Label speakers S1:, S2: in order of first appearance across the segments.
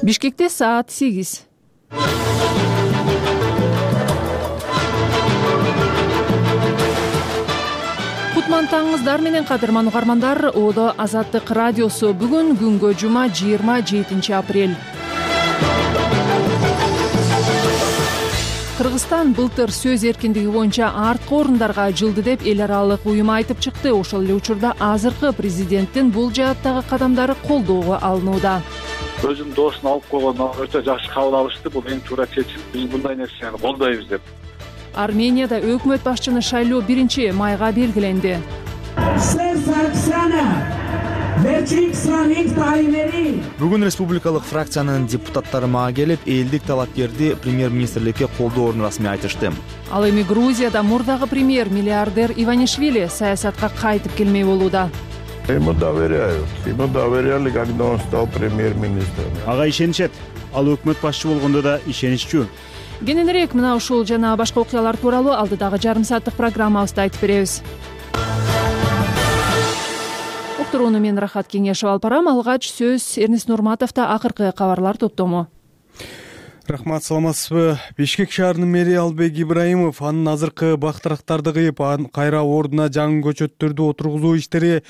S1: Бишкекте саат 8. Кутман таңыңыздар менен кадырман угармандар. Одо Азаттык радиосу бүгүн күнгө жума 27 апрель. Кыргызстан былтыр сөз эркиндиги боюнча арткы орундарга жылды деп эл аралык уюм айтып чыкты. Ошол эле учурда азыркы президенттин бул жааттагы кадамдары колдоого алынууда.
S2: Өзүм доосун алып койгон өтө жакшы кабыл алышты. Бул эң туура чечим. Биз мындай нерсени колдойбуз деп.
S1: Арменияда өкмөт башчыны шайлоо 1-майга белгиленди.
S3: Бүгүн республикалык фракциянын депутаттары мага келип, элдик талапкерди премьер-министрликке колдоону расмий айтышты.
S1: Ал эми Грузияда мурдагы премьер миллиардер Иванишвили саясатка кайтып келмей болууда.
S4: Ему доверяли, когда он стал премьер-министром.
S5: Ага ишенишет. Ал өкмөт башчы болгондо да ишениччүү.
S1: Кененирээк мына ушул жана башка окуялар тууралуу алдыдагы жарым сааттык программабызда айтып беребиз. Уктурууну мен Рахат Кеңешев алып барам. Алгач сөз Эрнис Нурматовдо акыркы кабарлар топтому.
S6: Рахмат, саламатсызбы? Бишкек шаарынын мэри Албек Ибраимов анын азыркы бактырактарды кыйып, кайра ордуна жаңы көчөттөрдү отургузуу иштери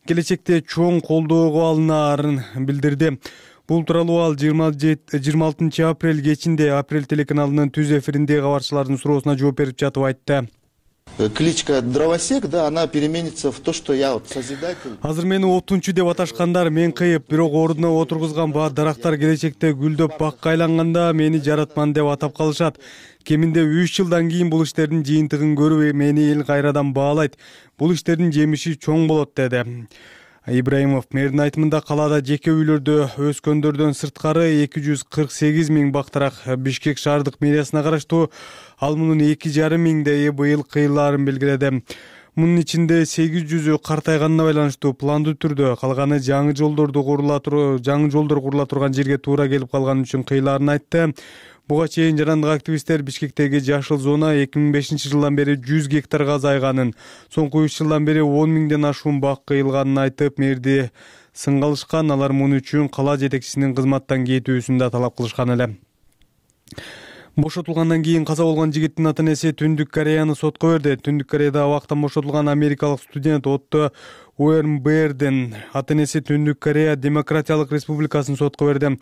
S6: келечекте чоң колдоого алынаарын билдирди. Бул тууралуу ал 26 апрель кечинде Апрель телеканалынын түз эфиринде кабарчылардын суроосуна жооп берип жатып айтты.
S7: Кличка Дровосек, да, она переменится в то, что я вот созидатель.
S6: Азыр мени отунчу деп аташкандар, мен кыйып, бирок ордуна отургузган баа дарактар келечекте гүлдөп бакка айланганда мени жаратман деп атап калышат. Кеминде 3 жылдан кийин бул иштердин жыйынтыгын көрүп, мени эл кайрадан баалайт. Бул иштердин жемиши чоң болот деди. Ибраимов мэрдин айтымында калаада жеке үйлөрдө өскөндөрдөн сырткары 248 миң бактырак Бишкек шаардык мэриясына караштуу. Ал мунун 2,5 миңдейи быйыл кыйылаарын белгиледи. Мунун ичинде 800ү картайганына байланыштуу пландуу түрдө, калганы жаңы жолдор курула турган жерге туура келип калган үчүн кыйылаарын айтты. Буга чейин жарандык активисттер Бишкектеги жашыл зона 2005 жылдан бери 100 гектарга азайганын, соңку 3 жылдан бери 10 миңден ашуун бак кыйылганын айтып, мэрди сынгалышкан. Алар муну үчүн кала жетекчисинин кызматтан кетүүсүн да талап кылышкан эле. Бошотулгандан кийин каза болгон жигиттин ата-энеси Түндүк Кореяны сотко берди. Түндүк Кореяда абактан бошотулган америкалык студент Отто Уэрнбердин ата-энеси Түндүк Корея Демократиялык Республикасын сотко берди.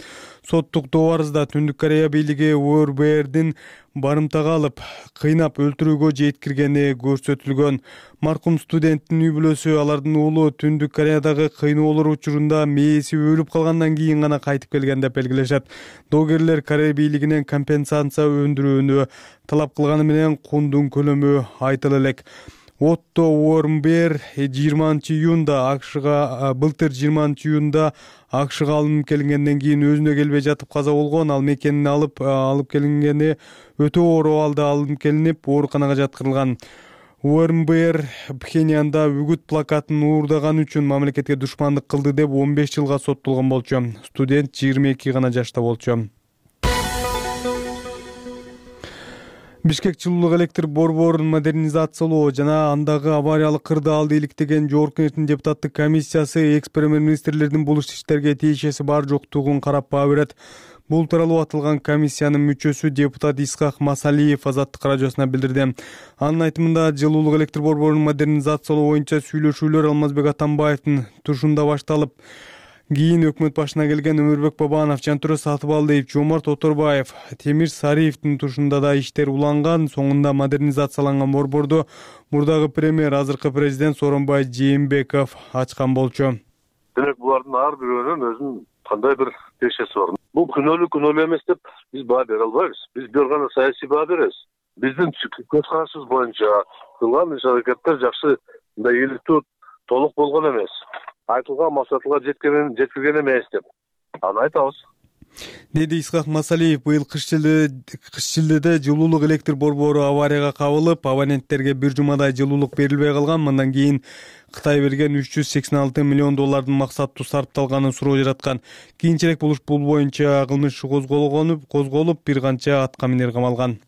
S6: Соттук добарызда Түндүк Корея бийлиги Уэрнбердин барымтага алып, кыйнап өлтүрүүгө жеткиргени көрсөтүлгөн. Маркум студенттин үй бүлөсү алардын уулу Түндүк Кореядагы кыйноолор учурунда мээси өлүп калгандан кийин гана кайтып келген деп белгилешет. Догерлер Корея бийлигинен компенсация өндүрүүнү талап кылганы менен кундун көлөмү айтыла элек. Отто Уэрнбер 20 июнда АКШга былтыр 20 июнда АКШга алынып келгенден кийин өзүнө келбей жатып каза болгон. Ал мекенин алып келингени өтө оор абалда алынып келинип, ооруканага жаткырылган. Уэрнбер Пхеньянда үгүт плакатын уурдаган үчүн мамлекетке душмандык кылды деп 15 жылга соттолгон болчу. Студент 22 гана жашта болчу. Бишкек жылуулук электр борборун модернизациялоо жана андагы авариялык кырдаалды иликтеген жогорку кеңештин депутаттык комиссиясы экс-премьер-министрлердин бул иштерге тиешеси бар жоктугун карап баа берет. Бул тууралуу атылган комиссиянын мүчөсү депутат Исхак Масалиев Азаттык радиосуна билдирди. Анын айтымында жылуулук электр борборун модернизациялоо боюнча сүйлөшүүлөр Алмазбек Атамбаевдин тушунда башталып, кийин өкмөт башына келген Өмүрбек Бабанов, Жантүрө Сатыбалдиев, Жомарт Оторбаев, Темир Сариевдин тушунда да иштер уланган. Соңунда модернизацияланган борборду мурдагы премьер, азыркы президент Сооронбай Жээнбеков ачкан болчу.
S4: Демек булардын ар бирөөнүн өзүнүн кандай бир тиешеси бар. Бул күнөөлүү эмес деп биз баа бере албайбыз. Биз бир гана саясий баа беребиз. Биздин көз карашыбыз боюнча кылган иш-аракеттер жакшы, мындай ийгиликтүү, толук болгон эмес. Айтылган максатка жеткирген эмес деп аны айтабыз,
S6: деди Исхак Масалиев. Быйыл кыш шилдеде жылуулук электр борбору аварияга кабылып, абоненттерге бир жумадай жылуулук берилбей калган. Мындан кийин Кытай берген 386 миллион доллардын максаттуу сарпталганын суроо жараткан. Кийинчерээк бул боюнча кылмыш козголуп, бир канча аткаминер камалган.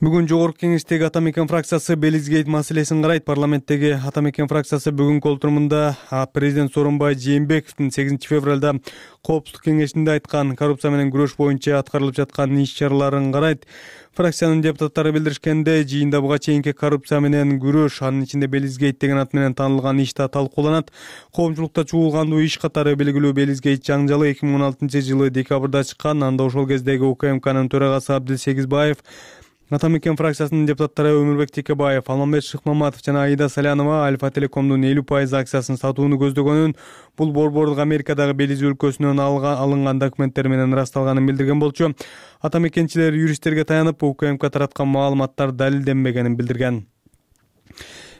S6: Бүгүн жогорку кеңештеги Ата мекен фракциясы Белизгейт маселесин карайт. Парламенттеги Ата мекен фракциясы бүгүнкү отурумунда президент Сооронбай Жээнбековдун 8 февралда коопсуздук кеңешинде айткан коррупция менен күрөш боюнча аткарылып жаткан иш-чараларын карайт. Фракциянын депутаттары билдиришкендей, жыйында буга чейинки коррупция менен күрөш, анын ичинде Белизгейт деген ат менен таанылган иш да талкууланат. Коомчулукта чуулгандуу иш катары белгилүү Белизгейт жаңжалы 2016 жылы декабрда чыккан. Анда ошол кездеги УКМКнын төрагасы Абдилсегизбаев, Ата мекен фракциясынын депутаттары Өмүрбек Текебаев, Алмамбет Шыкмаматов жана Аида Салянова Альфа Телекомдун 50% акциясын сатууну көздөгөнүн, бул борбордук Америкадагы Белиз өлкөсүнөн алынган документтер менен ырасталганын билдирген болчу. Ата мекенчилер юристтерге таянып, УКМК тараткан маалыматтар далилденбегенин билдирген.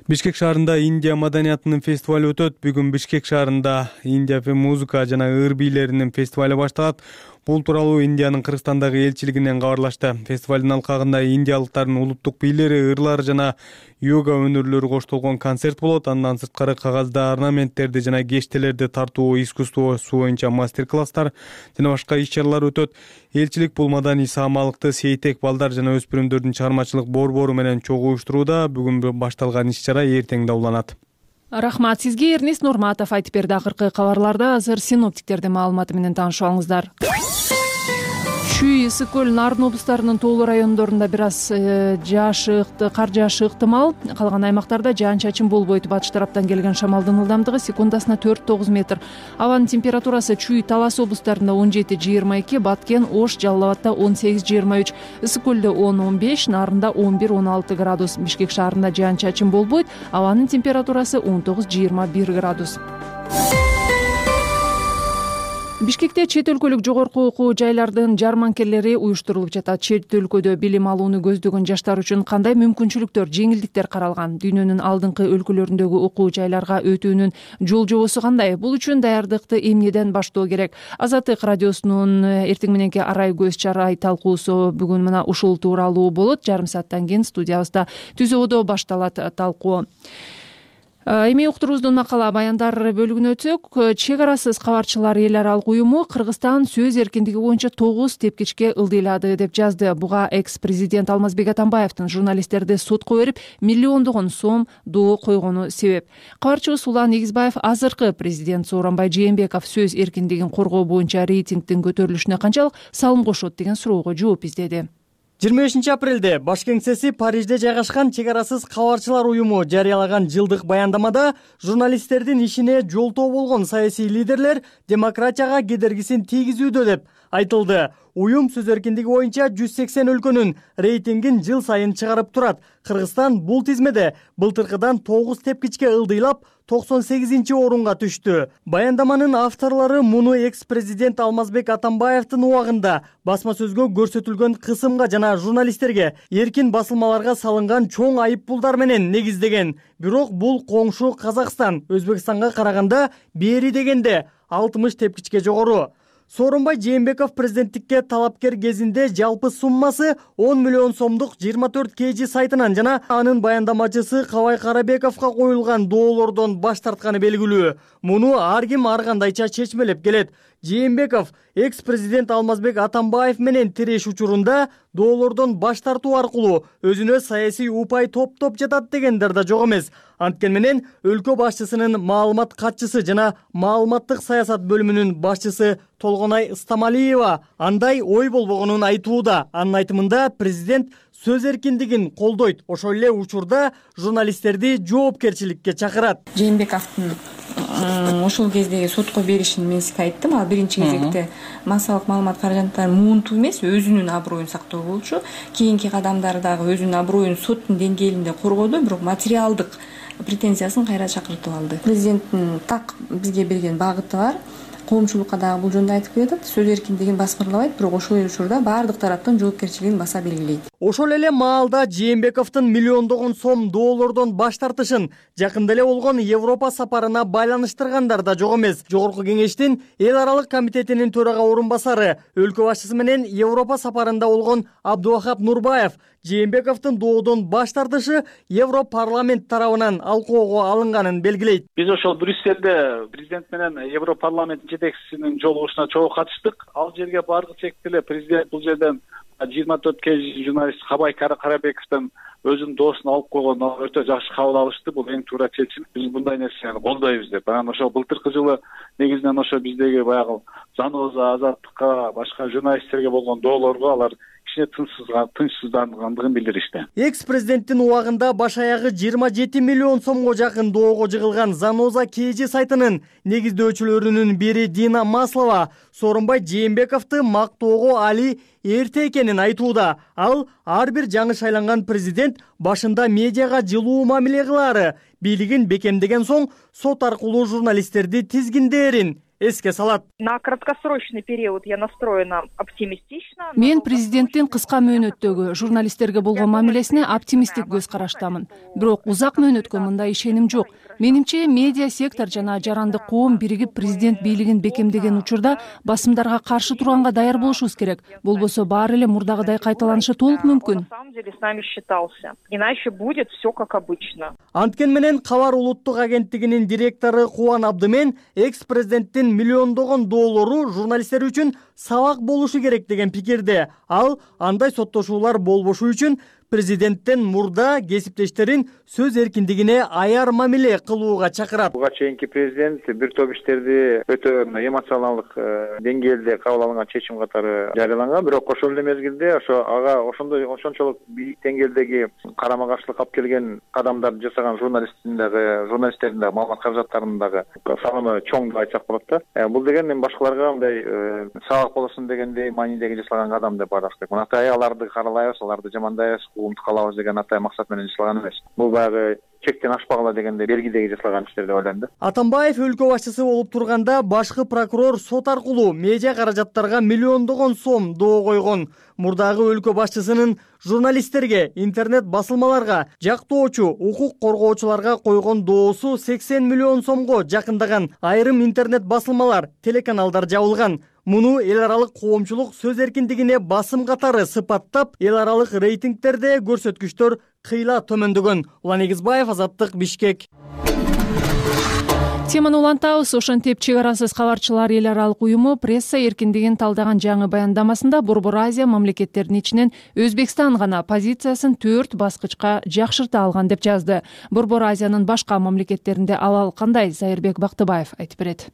S6: Бишкек шаарында Индия маданиятынын фестивалы өтөт. Бүгүн Бишкек шаарында Индия музыка жана ыр бийлеринин фестивалы башталат. Бул тууралуу Индиянын Кыргызстандагы элчилигинен кабарлашты. Фестивалдын алкагында индиялыктардын улуттук бийлери, ырлар жана йога өнөрлөрү коштолгон концерт болот. Андан сырткары кагазда орнаменттерди жана кештелерди тартуу искусствосу боюнча мастер-класстар жана башка иш-чаралар өтөт. Элчилик бул маданий саамалыкты сейтек балдар жана өспүрүмдөрдүн чыгармачылык борбору менен чогуу уюштурууда. Бүгүн башталган иш-чара эртең да уланат.
S1: Рахмат сизге. Эрнест Нурматов айтып берди. Акыркы кабарларда азыр синоптиктердин маалыматы менен таанышып алыңыздар. Чүй, Ысык көл, Нарын облустарынын тоолуу райондорунда бир аз кар жаашы ыктымал. Калган аймактарда жаан-чачын болбойт. Батыш тараптан келген шамалдын ылдамдыгы секундасына 4-9 метр. Абанын температурасы Чүй, Талас облустарында 17-22, Баткен, Ош, Жалал Абадда 18-23, Ысык көлдө 10-15, Нарында 11-16 градус. Бишкек шаарында жаан-чачын болбойт. Абанын температурасы 19-21 градус. Бишкекте чет өлкөлүк жогорку окуу жайлардын жарманкелери уюштурулуп жатат. Чет өлкөдө билим алууну көздөгөн жаштар үчүн кандай мүмкүнчүлүктөр, жеңилдиктер каралган? Дүйнөнүн алдыңкы өлкөлөрүндөгү окуу жайларга өтүүнүн жол жобосу кандай? Бул үчүн даярдыкты эмнеден баштоо керек? Азаттык радиосунун эртең мененки арай көз чарай талкуусу бүгүн мына ушул тууралуу болот. Жарым сааттан кийин студиябызда түзөөдө башталат талкуу. Эми уктуруубуздун макала баяндар бөлүгүнө өтсөк, чек арасыз кабарчылар эл аралык уюму Кыргызстан сөз эркиндиги боюнча 9 тепкичке ылдыйлады деп жазды. Буга экс-президент Алмазбек Атамбаевдин журналисттерди сотко берип, миллиондогон сом доо койгону себеп. Кабарчыбыз Улан Эгизбаев азыркы президент Сооронбай Жээнбеков сөз эркиндигин коргоо боюнча рейтингдин көтөрүлүшүнө канчалык салым кошот деген суроого жооп издеди.
S8: 25 апрелде баш кеңсеси Парижде жайгашкан чек арасыз кабарчылар уюму жарыялаган жылдык баяндамада журналисттердин ишине жолтоо болгон саясий лидерлер демократияга кедергисин тийгизүүдө деп айтылды. Уюм сөз эркиндиги боюнча 180 өлкөнүн рейтингин жыл сайын чыгарып турат. Кыргызстан бул тизмеде былтыркыдан 9 тепкичке ылдыйлап 98 орунга түштү. Баяндаманын авторлору муну экс-президент Алмазбек Атамбаевдин убагында басма сөзгө көрсөтүлгөн кысымга жана журналисттерге эркин басылмаларга салынган чоң айыппулдар менен негиздеген. Бирок бул коңшу Казакстан, Өзбекстанга караганда бери дегенде 60 тепкичке жогору. Сооронбай Жээнбеков президенттикке талапкер кезинде жалпы суммасы 10 миллион сомдук 24 KG сайтынан жана анын баяндамачысы Кабай Карабековго коюлган доолордон баш тартканы белгилүү. Муну ар ким ар кандайча чечмелеп келет. Жээнбеков экс-президент Алмазбек Атамбаев менен тиреш учурунда доолордон баш тартуу аркылуу өзүнө саясий упай топтоп жатат дегендер да жок эмес. Анткени менен өлкө башчысынын маалымат катчысы жана маалыматтык саясат бөлүмүнүн башчысы Толгонай Ыстамалиева андай ой болбогонун айтууда. Анын айтымында президент сөз эркиндигин колдойт, ошол эле учурда журналисттерди жоопкерчиликке чакырат.
S9: Жээнбековдун ошол кездеги сотко беришин мен сизге айттым. Ал биринчи кезекте массалык маалымат каражаттарын муунтуу эмес, өзүнүн аброюн сактоо болчу. Кийинки кадамдары дагы өзүнүн аброюн соттун деңгээлинде коргоду, бирок материалдык претензиясын кайра чакыртып алды. Президенттин так бизге берген багыты бар. Коомчулукка дагы бул жөнүндө айтып келатат. Сөз эркиндигин баскырлабайт, бирок ошол эле учурда баардык тараптын жоопкерчилигин баса белгилейт.
S8: Ошол эле маалда Жээнбековдун миллиондогон сом доолордон баш тартышын жакында эле болгон Европа сапарына байланыштыргандар да жок эмес. Жогорку кеңештин эл аралык комитетинин төрага орун басары, өлкө башчысы менен Европа сапарында болгон Абдувахап Нурбаев Жээнбековдун доодон баш тартышы Европарламент тарабынан алкоого алынганын белгилейт.
S2: Биз ошол Брюссельде президент менен Европарламенттин жетекчисинин жолугушуна чогуу катыштык. Ал жерге баргыча эле президент бул жерден 24 кж журналист Кабай Карабековдон өзүнүн доосун алып койгон, өтө жакшы кабыл алышты. Бул эң туура чечим. Биз мындай нерсени колдойбуз деп. Анан ошо былтыркы жылы негизинен ошо биздеги баягы Заноза, Азаттыкка, башка журналисттерге болгон доолорго алар кичине тынчсыздангандыгын билдиришти.
S8: Экс-президенттин убагында баш аягы 27 миллион сомго жакын доого жыгылган Заноза КЖ сайтынын негиздөөчүлөрүнүн бири Дина Маслова Сооронбай Жээнбековду мактоого али эрте экенин айтууда. Ал ар бир жаңы шайланган президент башында медиага жылуу мамиле кылаары, бийлигин бекемдеген соң сот аркылуу журналисттерди тизгиндээрин эске салат.
S10: На краткосрочный период я настроена оптимистично.
S1: Мен президенттин кыска мөөнөттөгү журналисттерге болгон мамилесине оптимисттик көз караштамын. Бирок узак мөөнөткө мындай ишеним жок. Менимче медиа сектор жана жарандык коом биригип президент бийлигин бекемдеген учурда басымдарга каршы турганга даяр болушубуз керек. Болбосо баары эле мурдагыдай кайталанышы толук мүмкүн.
S10: На самом деле с нами считался. Иначе будет все как обычно.
S8: Анткен менен Кабар улуттук агенттигинин директору Кубан Абдымен экс-президенттин миллиондогон доолору журналисттер үчүн сабак болушу керек деген пикирде. Ал андай соттошуулар болбошу үчүн президенттен мурда кесиптештерин сөз эркиндигине аяр мамиле кылууга чакырат.
S11: Буга чейинки президент бир топ иштерди өтө эмоционалдык деңгээлде кабыл алынган чечим катары жарыяланган, бирок ошол эле мезгилде ага ошончолук бийик деңгээлдеги карама каршылык алып келген кадамдарды жасаган журналисттердин дагы маалымат каражаттарынын дагы салымы чоң деп айтсак болот да. Бул деген эми башкаларга мындай сабак болосун дегендей маанидеги жасалган кадам деп караш керек. Атай аларды каралайбыз, аларды жамандайбыз, угумду калабыз деген атай максат менен жасалган эмес. Бул баягы чектен ашпагыла дегенде бергидеги жасалган иштер деп ойлойм да.
S8: Атамбаев өлкө башчысы болуп турганда башкы прокурор сот аркылуу медиа каражаттарга миллиондогон сом доо койгон. Мурдагы өлкө башчысынын журналисттерге, интернет басылмаларга, жактоочу, укук коргоочуларга койгон доосу 80 миллион сомго жакындаган. Айрым интернет басылмалар, телеканалдар жабылган. Муну эл аралык коомчулук сөз эркиндигине басым катары сыпаттап, эл аралык рейтингтерде көрсөткүчтөр кыйла төмөндөгөн. Улан Эгизбаев, Азаттык, Бишкек.
S1: Теманы улантабыз. Ошентип чек арасыз кабарчылар эл аралык уюму пресса эркиндигин талдаган жаңы баяндамасында Борбор Азия мамлекеттеринин ичинен Өзбекстан гана позициясын 4 баскычка жакшырта алган деп жазды. Борбор Азиянын башка мамлекеттеринде абал кандай? Зайырбек Бактыбаев айтып берет.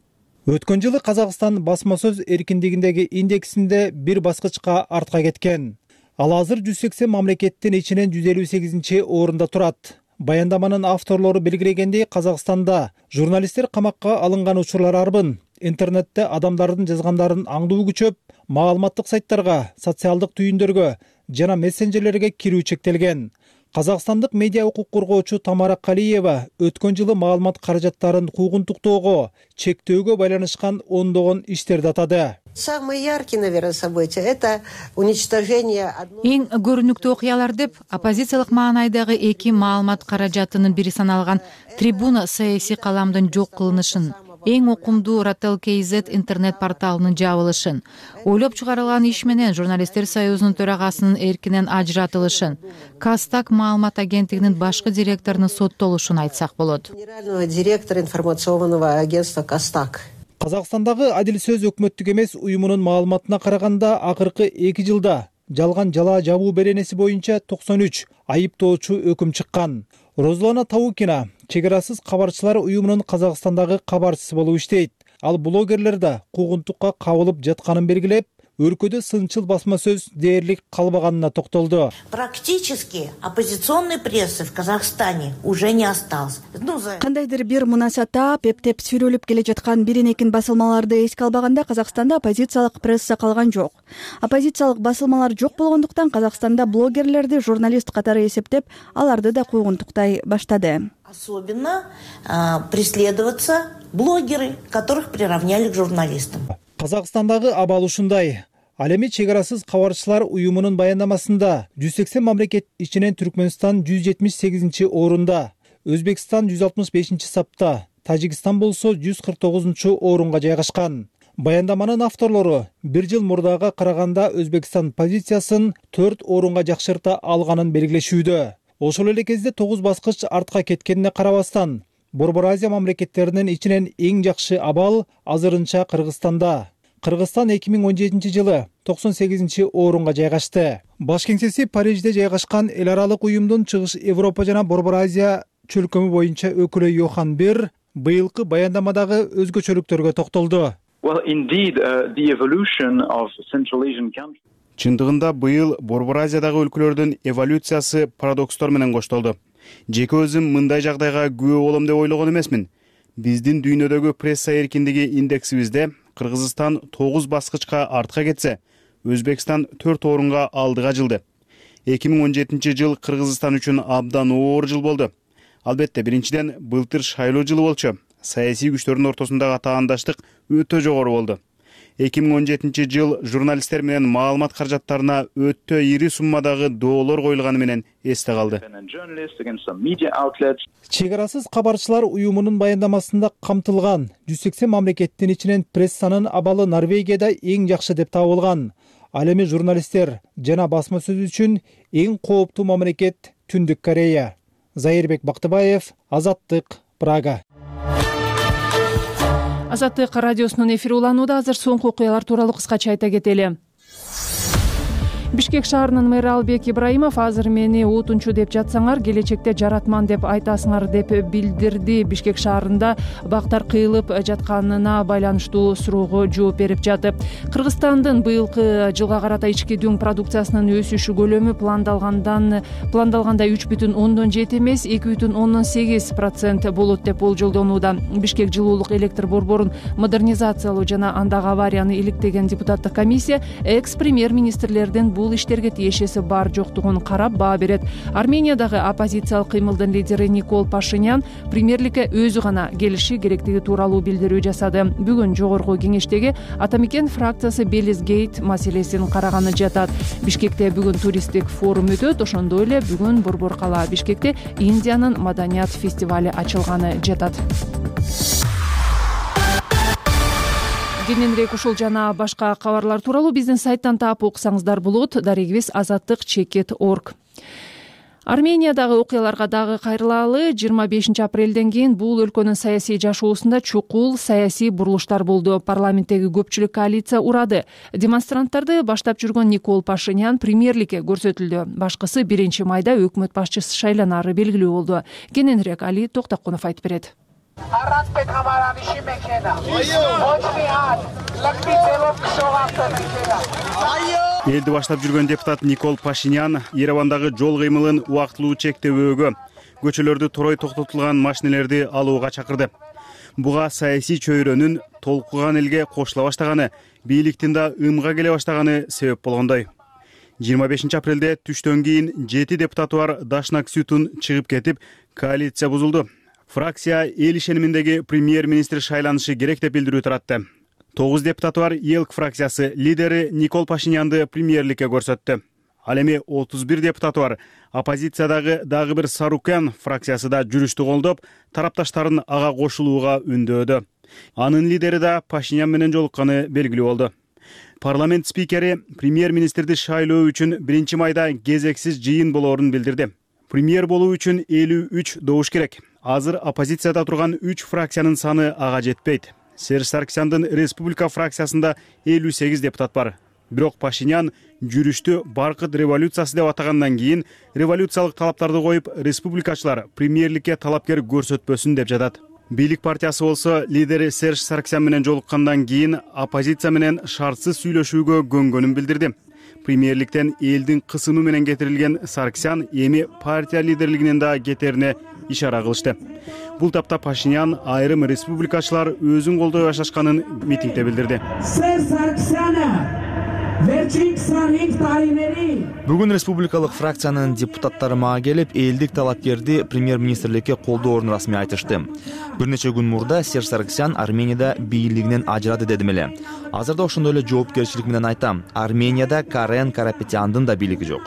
S12: Өткөн жылы Казакстан басма сөз эркиндигиндеги индексинде бир баскычка артка кеткен. Ал азыр 180 мамлекеттин ичинен 158 орунда турат. Баяндаманын авторлору белгилегендей, Казакстанда журналисттер камакка алынган учурлар арбын. Интернетте адамдардын жазгандарын аңдуу күчөп, маалыматтык сайттарга, социалдык түйүндөргө жана мессенжерлерге кирүү чектелген. Казакстандык медиа укук коргоочу Тамара Калиева өткөн жылы маалымат каражаттарын куугунтуктоого, чектөөгө байланышкан ондогон иштерди атады.
S13: Самые яркие, наверное, события — это уничтожение.
S14: Эң көрүнүктүү окуялар деп оппозициялык маанайдагы эки маалымат каражатынын бири саналган Трибуна саясий каламдын жок кылынышын, эң окумдуу Ratel.kz интернет порталынын жабылышын, ойлоп чыгарылган иш менен журналисттер союзунун төрагасынын эркинен ажыратылышын, Кастак маалымат агенттигинин башкы директорунун соттолушун айтсак болот.
S13: Генерального директора информационного агентства Кастак.
S12: Казакстандагы Адил сөз өкмөттүк эмес уюмунун маалыматына караганда акыркы 2 жылда жалган жала жабуу беренеси боюнча 93 айыптоочу өкүм чыккан. Розлана Таукина чек арасыз кабарчылар уюмунун Казакстандагы кабарчысы болуп иштейт. Ал блогерлер да куугунтукка кабылып жатканын белгилеп, өлкөдө сынчыл басма сөз дээрлик калбаганына токтолду.
S15: Практически оппозиционной прессы в Казахстане уже не осталось.
S16: Кандайдыр бир мунасата эптеп сүрөлүп келе жаткан бирин-экин басылмаларды эске албаганда Казакстанда оппозициялык пресса калган жок. Оппозициялык басылмалар жок болгондуктан Казакстанда блогерлерди журналист катары эсептеп, аларды да куугунтуктай баштады.
S15: Особенно преследоваться блогеры, которых приравняли к журналистам.
S12: Казакстандагы абал ушундай. Ал эми чек арасыз кабарчылар уюмунун баяндамасында 180 мамлекет ичинен Түркмөнстан 178 орунда, Өзбекстан 165 сапта, Тажикстан болсо 149 орунга жайгашкан. Баяндаманын авторлору бир жыл мурдага караганда Өзбекстан позициясын 4 орунга жакшырта алганын белгилешүүдө. Ошол эле кезде 9 баскыч артка кеткенине карабастан, Борбор Азия мамлекеттеринин ичинен эң жакшы абал азырынча Кыргызстанда. Кыргызстан 2017 жылы 98-орунга жайгашты. Баш кеңсеси Парижде жайгашкан эл аралык уюмдун Чыгыш Европа жана Борбор Азия чөлкөмү боюнча өкүлү Йохан Бер быйылкы баяндамадагы өзгөчөлүктөргө токтолду.
S5: Чындыгында быйыл Борбор Азиядагы өлкөлөрдүн эволюциясы парадокстор менен коштолду. Жеке өзүм мындай жагдайга күбө болом деп ойлогон эмесмин. Биздин дүйнөдөгү пресса эркиндиги индексибизде Кыргызстан 9 баскычка артка кетсе, Өзбекстан 4 орунга алдыга жылды. 2017 жыл Кыргызстан үчүн абдан оор жыл болду. Албетте, биринчиден былтыр шайлоо жылы болчу. Саясий күчтөрдүн ортосундагы таандаштык өтө жогору болду. 2017 жыл журналисттер менен маалымат каражаттарына өтө ири суммадагы доолор коюлганы менен эсте калды.
S12: Чек арасыз кабарчылар уюмунун баяндамасында камтылган 180 мамлекеттин ичинен прессанын абалы Норвегияда эң жакшы деп табылган. Ал эми журналисттер жана басма сөз үчүн эң кооптуу мамлекет Түндүк Корея. Зайырбек Бактыбаев, Азаттык, Прага.
S1: Азаттык радиосунун эфири уланууда. Азыр соңку окуялар тууралуу кыскача айта кетели. Бишкек шаарынын мэрі Албек Ибраимов азыр мени утунчу деп жатсаңар, келечекте жаратман деп айтасыңар деп билдирди. Бишкек шаарында бактар кыйылып жатканына байланыштуу суроого жооп берип жатып. Кыргызстандын быйылкы жылга карата ички дүң продукциясынын өсүшү көлөмү пландалганда 3,7 эмес 2,8% болот деп болжолдонууда. Бишкек жылуулук электр борборун модернизациялоо жана андагы аварияны иликтеген депутаттык комиссия экс-премьер-министрлердин бул иштерге тиешеси бар жоктугун карап баа берет. Армениядагы оппозициялык кыймылдын лидери Никол Пашинян премьерликке өзү гана келиши керектиги тууралуу билдирүү жасады. Бүгүн жогорку кеңештеги Атамекен фракциясы Белизгейт маселесин караганы жатат. Бишкекте бүгүн туристтик форум өтөт. Ошондой эле бүгүн Борбор кала Бишкекте Индиянын маданият фестивали ачылганы жатат. Кененирээк ушул жана башка кабарлар тууралуу биздин сайттан таап окусаңыздар болот. Дарегибиз azattik.org. Армениядагы окуяларга дагы кайрылалы. 25 апрелден кийин бул өлкөнүн саясий жашоосунда чукул саясий бурулуштар болду. Парламенттеги көпчүлүк коалиция урады. Демонстранттарды баштап жүргөн Никол Пашинян премьерликке көрсөтүлдү. Башкысы 1 майда өкмөт башчысы шайланары белгилүү болду. Кененирээк Али Токтокунов айтып берет.
S5: Элди баштап жүргөн депутат Никол Пашинян Еревандагы жол кыймылын убактылуу чектөөгө, көчөлөрдү торой токтотулган машинелерди алууга чакырды. Буга саясий чөйрөнүн толкуган элге кошула баштаганы, бийликтин да ымга келе баштаганы себеп болгондой. 25 апрелде түштөн кийин 7 депутаты бар Дашнак Сютун чыгып кетип, коалиция бузулду. Фракция эл ишениминдеги премьер-министр шайланышы керек деп билдирүү таратты. 9 депутаты бар ЕЛК фракциясы лидери Никол Пашинянды премьерликке көрсөттү. Ал эми 31 депутаты бар оппозициядагы дагы бир Сарукян фракциясы да жүрүштү колдоп, тарапташтарын ага кошулууга үндөөдү. Анын лидери да Пашинян менен жолукканы белгилүү болду. Парламент спикери премьер-министрди шайлоо үчүн 1 майда кезексиз жыйын болоорун билдирди. Премьер болуу үчүн 53 добуш керек. Азыр оппозицияда турган 3 фракциянын саны ага жетпейт. Серж Саркисяндын Республика фракциясында 58 депутат бар. Бирок Пашинян жүрүштү баркыт революциясы деп атагандан кийин революциялык талаптарды коюп, республикачылар премьерликке талапкер көрсөтпөсүн деп жатат. Бийлик партиясы болсо лидери Серж Саркисян менен жолуккандан кийин оппозиция менен шартсыз сүйлөшүүгө көнгөнүн билдирди. Премьерликтен элдин кысымы менен кетирилген Саркисян эми партия лидерлигинен да кетерине ишара кылышты. Бул тапта Пашинян айрым республикачылар өзүн колдой башташканын митингде билдирди.
S3: Бүгүн республикалык фракциянын депутаттары мага келип, элдик талапкерди премьер-министрликке колдоорун расмий айтышты. Бир нече күн мурда Серж Саркисян Арменияда бийлигинен ажырады дедим эле. Азырда ошондой эле жоопкерчилик менен айтам. Арменияда Карен Карапетяндын да бийлиги жок.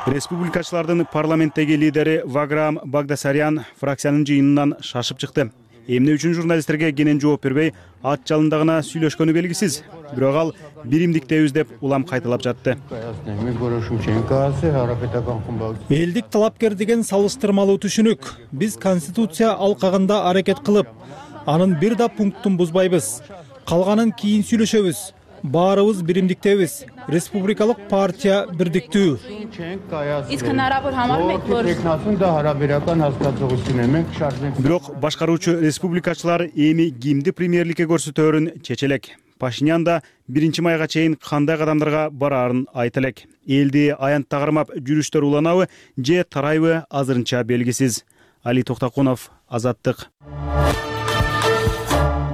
S5: Республикачылардын парламенттеги лидери Ваграм Багдасарян фракциянын жыйынынан шашып чыкты. эмне үчүн журналисттерге кенен жооп бербей ат жалында гана сүйлөшкөнү белгисиз. Бирок ал биримдиктебиз деп улам кайталап жатты.
S12: Элдик талапкер деген салыштырмалуу түшүнүк. Биз конституция алкагында аракет кылып, анын бир да пунктун бузбайбыз. Калганын кийин сүйлөшөбүз. Баарыбыз биримдиктебиз. Республикалык партия бирдиктүү.
S5: Бирок башкаруучу республикачылар эми кимди премьерликке көрсөтөөрүн чече элек. Пашинян да 1-майга чейин кандай кадамдарга бараарын айта элек. Элди аянтта кармап жүрүштөр уланабы же тарайбы азырынча белгисиз. Али Токтокунов, Азаттык.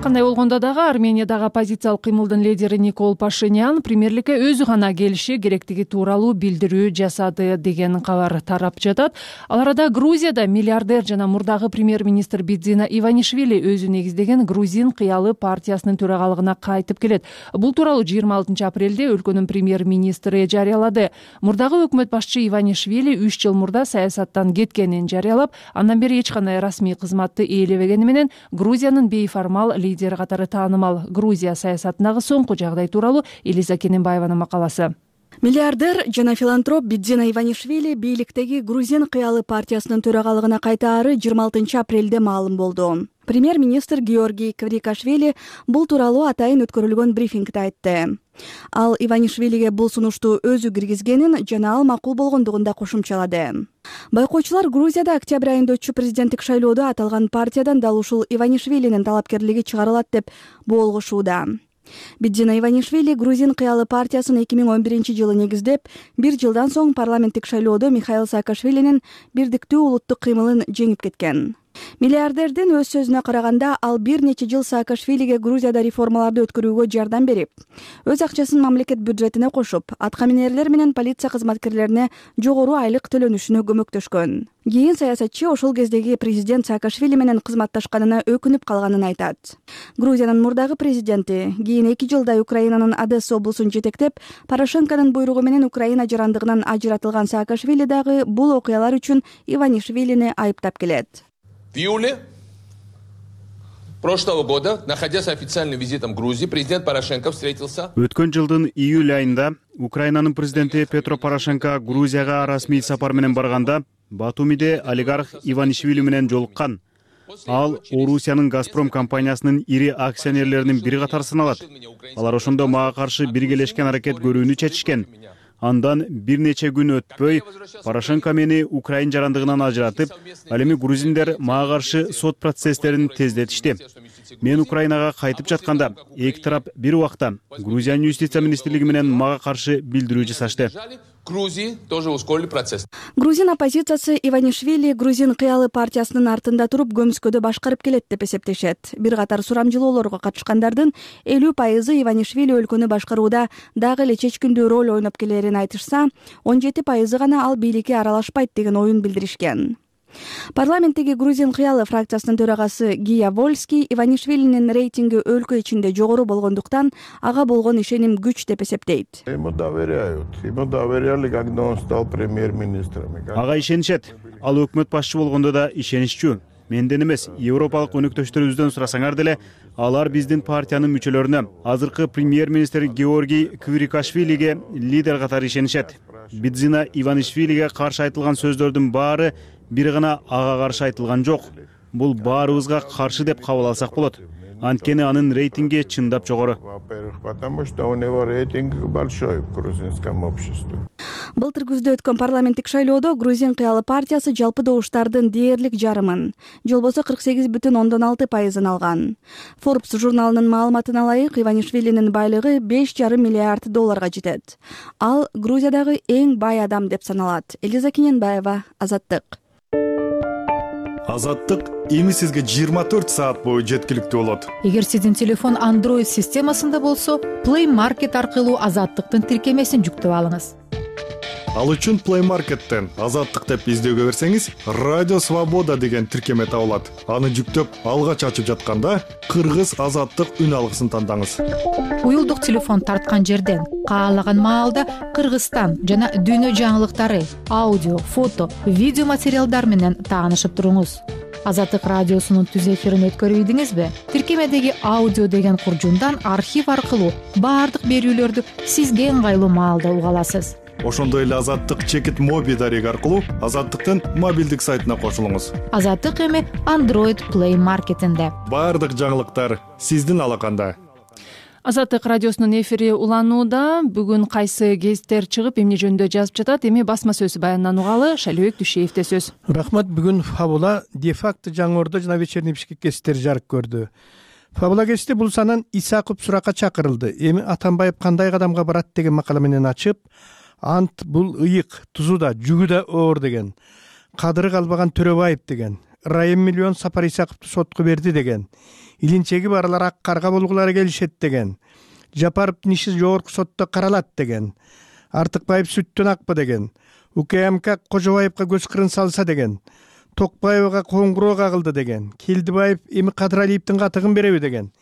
S1: Кандай болгондо дагы Армениядагы оппозициялык кыймылдын лидери Никол Пашинян премьерликке өзү гана келиши керектиги тууралуу билдирүү жасады деген кабар тарап жатат. Ал арада Грузияда миллиардер жана мурдагы премьер-министр Бидзина Иванишвили өзү негиздеген Грузин кыялы партиясынын төрагалыгына кайтып келет. Бул тууралуу 26 апрелде өлкөнүн премьер-министри жарыялады. Мурдагы өкмөт башчы Иванишвили 3 жыл мурда саясаттан кеткенин жарыялап, андан бери эч кандай расмий кызматты ээлебегени менен Грузиянын бейформал лидер катары таанымал. Грузия саясатындагы соңку жагдай тууралуу Элиза Кененбаеванын макаласы.
S16: Миллиардер жана филантроп Бидзина Иванишвили бийликтеги Грузин кыялы партиясынын төрагалыгына кайтаары 26 апрелде маалым болду. Премьер-министр Георгий Кврикашвили бул тууралуу атайын өткөрүлгөн брифингде айтты. Ал Иванишвилиге бул сунушту өзү киргизгенин жана ал макул болгондугун да кошумчалады. Байкоочулар Грузияда октябрь айында өтчү президенттик шайлоодо аталган партиядан дал ушул Иванишвилинин талапкерлиги чыгарылат деп боолгошууда. Бидзина Иванишвили Грузин кыялы партиясын 2011-жылы негиздеп, 1 жылдан соң парламенттик шайлоодо Михаил Саакашвилинин бирдиктүү улуттук кыймылын жеңип кеткен. Миллиардердин өз сөзүнө караганда, ал бир нече жыл Саакашвилиге Грузияда реформаларды өткөрүүгө жардам берип, өз акчасын мамлекет бюджетине кошуп, аткаминерлер менен полиция кызматкерлерине жогору айлык төлөнүшүнө көмөктөшкөн. Кийин саясатчы ошол кездеги президент Саакашвили менен кызматташканына өкүнүп калганын айтат. Грузиянын мурдагы президенти кийин 2 жылдай Украинанын Одесса облусун жетектеп, Порошенконун буйругу менен Украина жарандыгынан ажыратылган Саакашвили дагы бул окуялар үчүн Иванишвилини айыптап келет.
S17: В июле прошлого года, находясь официальным визитом в Грузии, президент Порошенко встретился.
S5: Өткөн жылдын июль айында Украинанын президенти Петро Порошенко Грузияга расмий сапар менен барганда Батумиде олигарх Иванишвили менен жолуккан. Ал Орусиянын Газпром компаниясынын ири акционерлеринин бири катары саналат. Алар ошондо мага каршы биргелешкен аракет көрүүнү чечишкен. Андан бир нече күн өтпөй Порошенко мени Украин жарандыгынан ажыратып, ал эми грузиндер мага каршы сот процесстерин тездетишти. Мен Украинага кайтып жатканда эки тарап бир убакта Грузиянын юстиция министрлиги менен мага каршы билдирүү жасашты.
S17: Грузии тоже ускорили процесс.
S16: Грузин оппозициясы Иванишвили Грузин кыялы партиясынын артында туруп көмүскөдө башкарып келет деп эсептешет. Бир катар сурамжылоолорго катышкандардын 50% Иванишвили өлкөнү башкарууда дагы эле чечкиндүү роль ойноп келерин айтышса, 17% гана ал бийликке аралашпайт деген оюн билдиришкен. Парламенттеги Грузин кыялы фракциясынын төрагасы Гия Вольский Иванишвилинин рейтинги өлкө ичинде жогору болгондуктан ага болгон ишеним күч деп эсептейт.
S5: Ага ишенишет. Ал өкмөт башчы болгондо да ишениччүү. Менден эмес, европалык өнөктөштөрүбүздөн сурасаңар деле, алар биздин партиянын мүчөлөрүнө, азыркы премьер-министр Георгий Кврикашвилиге лидер катары ишенишет. Бидзина Иванишвилиге каршы айтылган сөздөрдүн баары бир гана ага каршы айтылган жок. Бул баарыбызга каршы деп кабыл алсак болот. Анткени анын рейтинги чындап жогору.
S16: Былтыр күздө өткөн парламенттик шайлоодо Грузин кыялы партиясы жалпы добуштардын дээрлик жарымын, же болбосо 48,6% алган. Forbes журналынын маалыматына ылайык Иванишвилинин байлыгы $5,5 миллиард жетет. Ал Грузиядагы эң бай адам деп саналат. Элиза Кененбаева, Азаттык.
S18: Азаттык эми сизге 24 саат бою жеткиликтүү болот.
S14: Эгер сиздин телефон Android системасында болсо, Play Market аркылуу Азаттыктын тиркемесин жүктөп алыңыз.
S18: Ал үчүн Play Market'тен Азаттык деп издөөгө берсеңиз, Радио Свобода деген тиркеме табылат. Аны жүктөп, алгач ачып жатканда Кыргыз Азаттык үн алгысын тандаңыз.
S14: Уюлдук телефон тарткан жерден каалаган маалда Кыргызстан жана дүйнө жаңылыктары, аудио, фото, видео материалдар менен таанышып туруңуз. Азаттык радиосунун түз эфирин өткөрбөйдүңүзбү? Тиркемедеги аудио деген куржундан архив аркылуу баардык берүүлөрдү сизге ыңгайлуу маалда уга аласыз.
S18: Ошондой эле Азаттык чекит моби дареги аркылуу Азаттыктын мобилдик сайтына кошулуңуз.
S14: Азаттык эми Android Play маркетинде.
S18: Баардык жаңылыктар сиздин алаканда.
S1: Азаттык радиосунун эфири уланууда. Бүгүн кайсы гезиттер чыгып, эмне жөнүндө жазып жатат, эми басма сөз баянынан угалы. Шалибек Дүйшеевде сөз.
S19: Рахмат. Бүгүн Фабула, де-факто Жаңы Ордо жана Вечерний Бишкек гезиттери жарык көрдү. Фабула гезити бул санын Исаков суракка чакырылды. Эми Атамбаев кандай кадамга барат деген макала менен ачып, ант бул ыйык, тузу да, жүгү да оор деген. Кадыры калбаган Төрөбаев деген. Райым миллион Сапар Исаковду сотко берди деген. Илинчеги барлар ак карга болгулары келишет деген. Жапаровдун иши жогорку сотто каралат деген. Артыкбаев сүттөн акпы деген. УКМК Кожобаевга көз кырын салса деген. Токпаевга коңгуроо кагылды деген. Келдибаев эми Кадыралиевдин катыгын береби деген.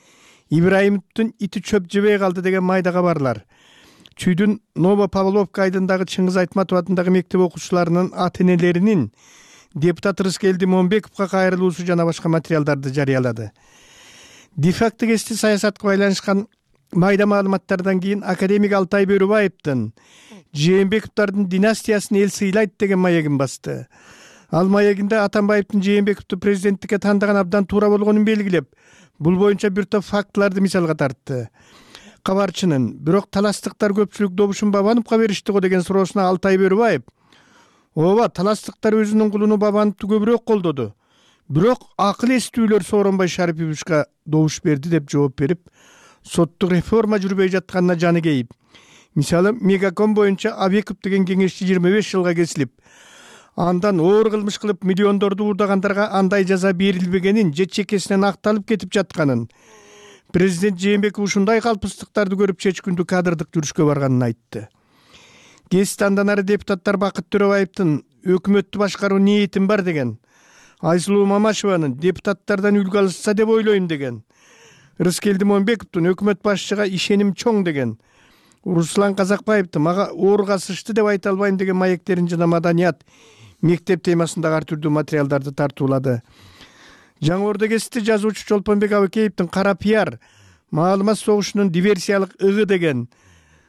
S19: Ибраимовдун ити чөп жебей калды деген майда кабарлар. Чүйдүн Ново-Павловка айдындагы Чыңгыз Айтматов атындагы мектеп окуучуларынын ата-энелеринин депутат Рыскелди Момбековго кайрылуусу жана башка материалдарды жарыялады. Де-факто гезити саясатка байланышкан майда маалыматтардан кийин академик Алтай Бөрөбаевдин Жээнбековдордун династиясын эл сыйлайт деген маегин басты. Ал маегинде Атамбаевдин Жээнбековду президенттикке тандаган абдан туура болгонун белгилеп, бул боюнча бир топ фактыларды мисалга тартты. Кабарчынын бирок таластыктар көпчүлүк добушун Бабановго беришти го деген суроосуна Алтай Бөрөбаев: ооба, таластыктар өзүнүн кулуну Бабановду көбүрөөк колдоду. Бирок акыл эстүүлөр Сооронбай Шариповичке добуш берди деп жооп берип, соттук реформа жүрбөй жатканына жаны кейип. Мисалы, Мегаком боюнча Абеков деген кеңешчи 25 жылга кесилип, андан оор кылмыш кылып миллиондорду уурдагандарга андай жаза берилбегенин же чекесинен акталып кетип жатканын, президент Жээнбеков ушундай калпыстыктарды көрүп чечкүндү кадрдык жүрүшкө барганын айтты. Гезит андан ары депутаттар Бакыт Төрөбаевдин өкмөттү башкаруу ниетим бар деген, Айсулуу Мамашеванын депутаттардан үлгү алышса деп ойлойм деген, Рыскелди Момбековдун өкмөт башчыга ишеним чоң деген, Руслан Казакбаевди мага оор касышты деп айта албайм деген маектерин жана маданият, мектеп темасындагы ар түрдүү материалдарды тартуулады. Жаңы Ордо гезити жазуучу Чолпонбек Абыкеевдин Кара пиар, маалымат согушунун диверсиялык ыгы деген,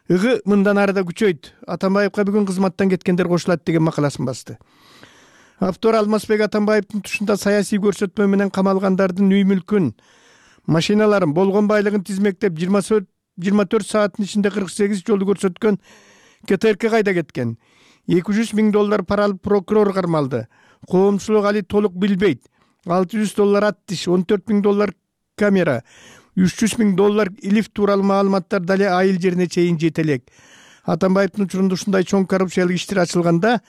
S19: ыгы мындан ары да күчөйт, Атамбаевга бүгүн кызматтан кеткендер кошулат деген макаласын басты. Автор Алмазбек Атамбаевдин тушунда саясий көрсөтмө менен камалгандардын үй мүлкүн, машиналарын, болгон байлыгын тизмектеп 24 сааттын ичинде 48 жолу көрсөткөн КТРК кайда кеткен? $200 000 пара алып прокурор кармалды. Коомчулук али толук билбейт. $600 ат тиш, $14 000 камера, $300 000 илиф тууралуу маалыматтар дале айыл жерине чейин жете элек. Атамбаевдин учурунда ушундай чоң коррупциялык иштер ачылганда,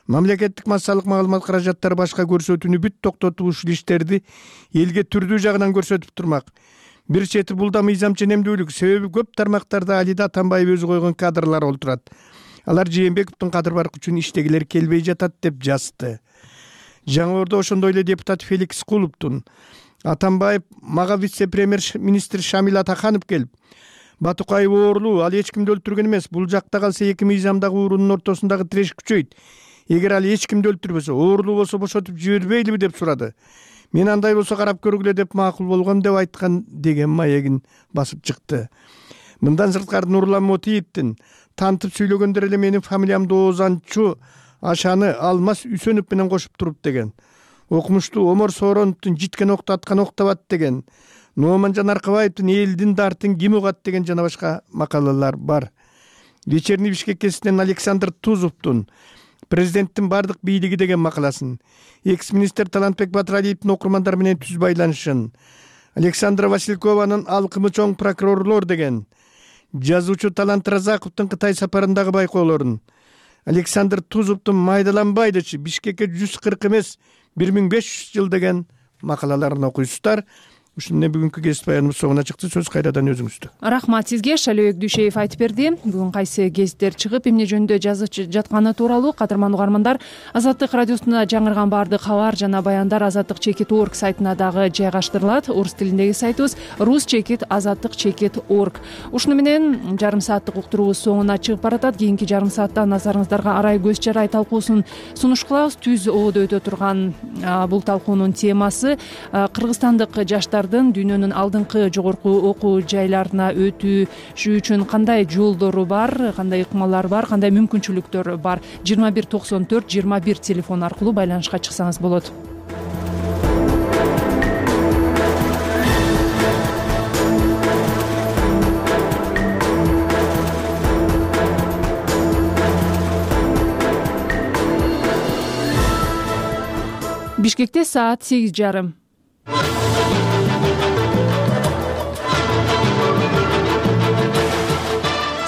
S19: мамлекеттик массалык маалымат каражаттары башка көрсөтүүнү бүт токтотуп ушул иштерди элге түрдүү жагынан көрсөтүп турмак. Бир чети бул да мыйзам ченемдүүлүк, себеби көп тармактарда алида Атамбаев өзү койгон кадрлар олтурат. Алар Жээнбековдун кадыр баркы үчүн иштегилер келбей жатат деп жазды. Жаңы Ордо ошондой эле депутат Феликс Кулуптун Атамбаев мага вице-премьер министр Шамил Атаханов келип, Батукаев оорлуу, ал эч кимди өлтүргөн эмес, бул жакта калса эки мыйзамдагы уурунун ортосундагы тиреш күчөйт. Эгер ал эч кимди өлтүрбөсө, оорлуу болсо бошотуп жибербейлиби деп сурады. Мен андай болсо карап көргүлө деп макул болгом деп айткан деген маегин басып чыкты. Мындан сырткары Нурлан Мотиевдин тантып сүйлөгөндөр эле менин фамилиямды Оозанчу Ашаны Алмаз Үсөнов менен кошуп туруп деген. Окумуштуу Омор Соороновдун житкен окту аткан октабат деген. Нооманжан Аркабаевдин элдин дартын ким угат деген жана башка макалалар бар. Вечерний Бишкек гезитинен Александр Тузовдун президенттин бардык бийлиги деген макаласын, экс-министр Талантбек Батыралиевдин окурмандар менен түз байланышын, Александра Василькованын алкымы чоң прокурорлор деген, жазуучу Талант Разаковдун Кытай сапарындагы байкоолорун, Александр Тузовдун майдаланбайдычы Бишкекке 140 эмес 1500 жыл деген макалаларын окуйсуздар. ушул эмне бүгүнкү кесип баяныбыз соңуна чыкты. Сөз кайрадан өзүңүздө.
S1: Рахмат сизге. Шалебек Дүйшеев айтып берди. Бүгүн кайсы гезиттер чыгып эмне жөнүндө жазып жатканы тууралуу кадырман угармандар, Азаттык радиосунда жаңырган баардык кабар жана баяндар azattik.org сайтына дагы жайгаштырылат. Орус тилиндеги сайтыбыз rus.azattik.org. Ушуну менен жарым сааттык уктуруубуз соңуна чыгып баратат. Кийинки жарым саатта назарыңыздарга арай көз жарай талкуусун сунуш кылабыз. Түз ободо өтө турган бул талкуунун темасы кыргызстандык жаштардын дүйнөнүн алдыңкы жогорку окуу жайларына өтүшү үчүн кандай жолдору бар, кандай ыкмалар бар, кандай мүмкүнчүлүктөр бар. 2194-21 телефон аркылуу байланышка чыксаңыз болот. Бишкекте саат 8:30.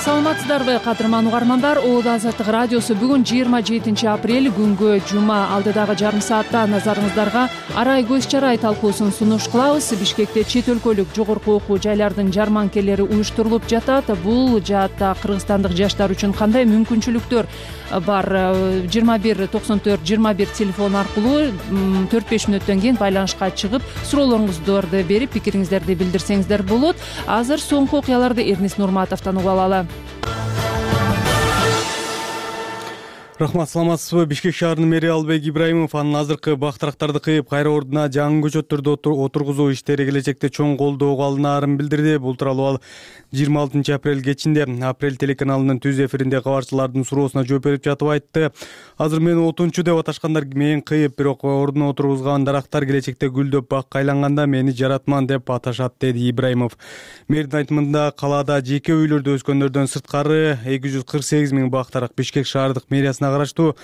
S1: Саламатсыздарбы кадырман угармандар? Оодо Азаттык радиосу бүгүн 27 апрель күнгө жума. Алдыдагы жарым саатта назарыңыздарга арай көз жарай талкуусун сунуш кылабыз. Бишкекте чет өлкөлүк жогорку окуу жайлардын жарманкелери уюштурулуп жатат. Бул жаатта кыргызстандык жаштар үчүн кандай мүмкүнчүлүктөр бар? 2194-21 телефон аркылуу 4-5 мүнөттөн кийин байланышка чыгып, суроолоруңуздарды берип, пикириңиздерди билдирсеңиздер болот. Азыр соңку окуяларды Эрнис Нурматовдон угуп алалы.
S6: Рахмат, саламатсызбы? Бишкек шаарынын мэри Албек Ибраимов анын азыркы бактырактарды кыйып, кайра ордуна жаңы көчөттөрдү отургузуу иштери келечекте чоң колдоого алынаарын билдирди. Бул тууралуу ал 26 апрель кечинде Апрель телеканалынын түз эфиринде кабарчылардын суроосуна жооп берип жатып айтты. Азыр мени отунчу деп аташкандар мен кыйып, бирок ордуна отургузган дарактар келечекте гүлдөп бакка айланганда мени жаратман деп аташат, деди Ибраимов. Мэрдин айтымында калаада жеке үйлөрдө өскөндөрдөн сырткары 248 000 бактарак Бишкек шаардык мэриясына караштуу.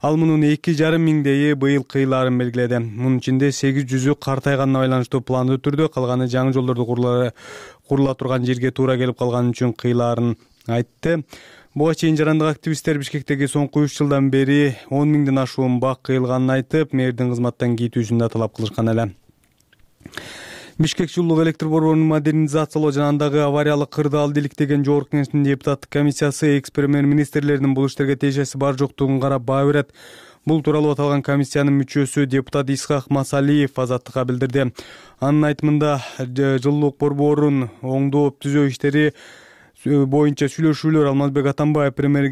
S6: Ал мунун 2,5 миңдейи быйыл кыйлаарын белгиледи. Мунун ичинде 800-ү картайганына байланыштуу пландуу түрдө, калганы жаңы жолдорду курула турган жерге туура келип калган үчүн кыйлаарын айтты. Буга чейин жарандык активисттер Бишкектеги соңку 3 жылдан бери 10 миңден ашуун бак кыйылганын айтып, мэрдин кызматтан кетүүсүн да талап кылышкан эле. Бишкек жылуулук электр борборунун модернизациялоо жана андагы авариялык кырды алды иликтеген жогорку кеңештин депутаттык комиссиясы экс-премьер-министрлердин бул иштерге тиешеси бар жоктугун карап баа берет. Бул тууралуу аталган комиссиянын мүчөсү депутат Исхак Масалиев Азаттыкка билдирди. Анын айтымында жылуулук борборун оңдоп түзөө иштери боюнча сүйлөшүүлөр Алмазбек Атамбаев премьер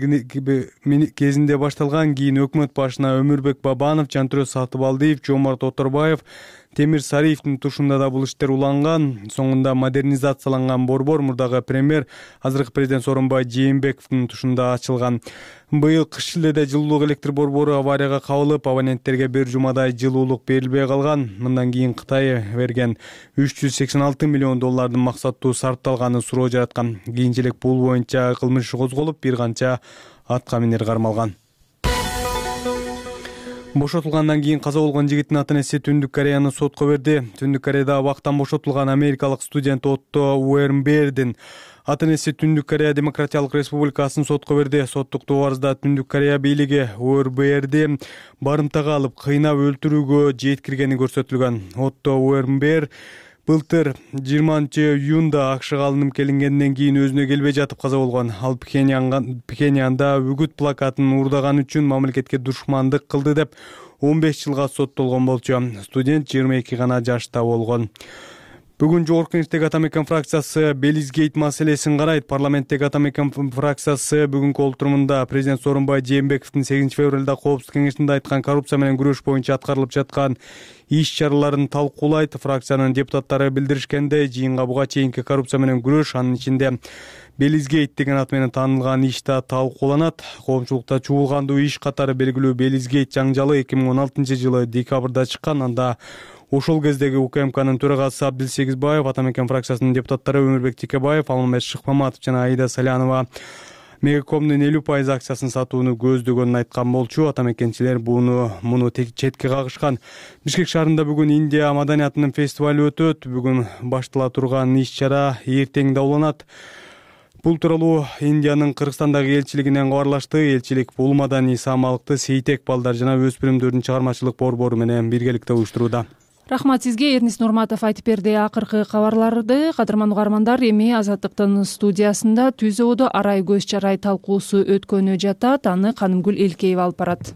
S6: кезинде башталган. Кийин өкмөт башына Өмүрбек Бабанов, Жантүрө Сатыбалдиев, Жомарт Оторбаев, Темир Сариевдин тушунда да бул иштер уланган. Соңунда модернизацияланган борбор мурдагы премьер, азыркы президент Сооронбай Жээнбековдун тушунда ачылган. Быйыл кыш шилдеде жылуулук электр борбору аварияга кабылып, абоненттерге бир жумадай жылуулук берилбей калган. Мындан кийин Кытай берген $386 миллион максаттуу сарпталганы суроо жараткан. Кийинчерээк бул боюнча кылмыш козголуп, бир канча атка минер кармалган. Бошотулгандан кийин каза болгон жигиттин ата-энеси Түндүк Кореяны сотко берди. Түндүк Кореяда абактан бошотулган америкалык студент Отто Уэрнбердин ата-энеси Түндүк Корея Демократиялык Республикасын сотко берди. Соттук арызда Түндүк Корея бийлиги Уэрнберди барымтага алып, кыйнап өлтүрүүгө жеткиргени көрсөтүлгөн. Отто Уэрнбер былтыр 20 июнда АКШга алынып келингенден кийин өзүнө келбей жатып каза болгон. Ал Пхеньянда үгүт плакатын уурдаган үчүн мамлекетке душмандык кылды деп 15 жылга соттолгон болчу. Студент 22 гана жашта болгон. Бүгүн жогорку кеңештеги Атамекен фракциясы Белизгейт маселесин карайт. Парламенттеги Атамекен фракциясы бүгүнкү олтурумунда президент Сооронбай Жээнбековдун 8 февралда коопсуздук кеңешинде айткан коррупция менен күрөш боюнча аткарылып жаткан иш-чараларын талкуулайт. Фракциянын депутаттары билдиришкендей, жыйынга буга чейинки коррупция менен күрөш, анын ичинде Белизгейт деген ат менен таанылган иш да талкууланат. Коомчулукта чуулгандуу иш катары белгилүү Белизгейт жаңжалы 2016 жылы декабрда чыккан. Анда ошол кездеги УКМКнын төрагасы Абдил Сегизбаев, Атамекен фракциясынын депутаттары Өмүрбек Текебаев, Алмамет Шыкмаматов жана Аида Салянова Мегакомдун 50% акциясын сатууну көздөгөнүн айткан болчу. Атамекенчилер муну четке кагышкан. Бишкек шаарында бүгүн Индия маданиятынын фестивалы өтөт. Бүгүн баштала турган иш-чара эртең дауланат. Бул тууралуу Индиянын Кыргызстандагы элчилигинен кабарлашты. Элчилик бул маданий саамалыкты Сейтек балдар жана өспүрүмдөрдүн чыгармачылык борбору менен биргеликте уюштурууда.
S1: Рахмат сизге, Эрнис Нурматов айтып берди акыркы кабарларды. Кадырман угармандар, эми Азаттыктын студиясында түз ободо арай көз чарай талкуусу өткөнү жатат. Аны Канымгүл Элкеева алып барат.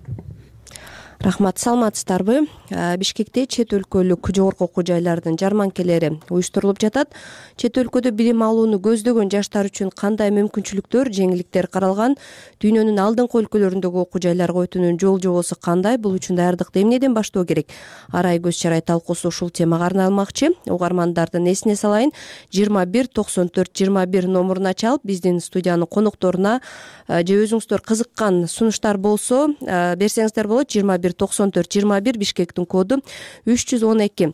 S20: Рахмат, саламатсыздарбы? Бишкекте чет өлкөлүк жогорку окуу жайлардын жарманкелери уюштурулуп жатат. Чет өлкөдө билим алууну көздөгөн жаштар үчүн кандай мүмкүнчүлүктөр, жеңилдиктер каралган? Дүйнөнүн алдыңкы өлкөлөрүндөгү окуу жайларга өтүүнүн жол жобосу кандай? Бул үчүн даярдыкты эмнеден баштоо керек? Арай көз чарай талкуусу ушул темага арналмакчы. Угармандардын эсине салайын, 21 94 21 номуруна чалып, биздин студиянын конокторуна же өзүңүздөр кызыккан сунуштар болсо берсеңиздер болот. 21 94 21 Бишкектин коду 312.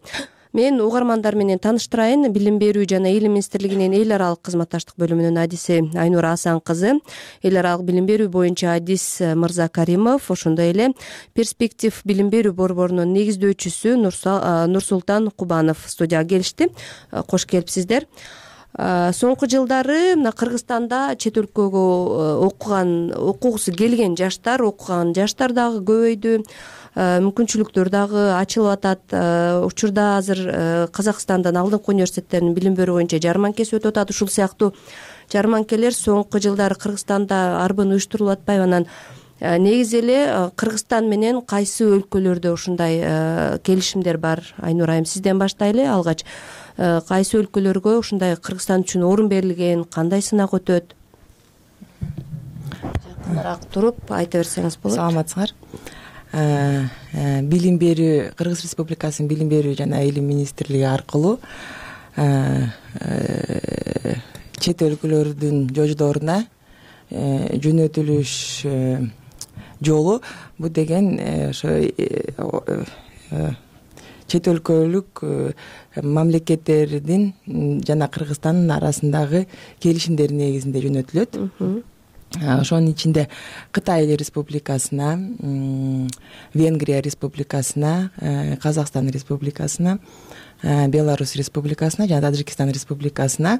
S20: Мен угармандар менен тааныштырайын. Билим берүү жана Илим министрлигинин эл аралык кызматташтык бөлүмүнүн адиси Айнура Асан кызы, эл аралык билим берүү боюнча адис Мырза Каримов, ошондой эле Перспектив билим берүү борборунун негиздөөчүсү Нурсултан Кубанов студияга келишти. Кош келипсиздер. Соңку жылдары мына Кыргызстанда чет өлкөгө окугусу келген жаштар дагы көбөйдү. Мүмкүнчүлүктөр дагы ачылып атат. Учурда азыр Казакстандан алдыңкы университеттердин билим берүү боюнча жарманкеси өтүп атат. Ушул сыяктуу жарманкелер соңку жылдары Кыргызстанда арбын уюштурулуп атпайбы? Анан негизи эле Кыргызстан менен кайсы өлкөлөрдө ушундай келишимдер бар? Айнур айым, сизден баштайлы. Алгач кайсы өлкөлөргө ушундай Кыргызстан үчүн орун берилген, кандай сынак өтөт? Жакыныраак туруп айта берсеңиз болот.
S21: Саламатсыңар. Билим берүү, Кыргыз Республикасынын билим берүү жана Илим министрлиги аркылуу чет өлкөлөрдүн жождоруна жөнөтүлүш жолу, бул деген ошо чет өлкөлүк мамлекеттердин жана Кыргызстандын арасындагы келишимдер негизинде жөнөтүлөт. Ошонун ичинде Кытай Республикасына, Венгрия Республикасына, Казакстан Республикасына, Беларусь Республикасына жана Таджикистан Республикасына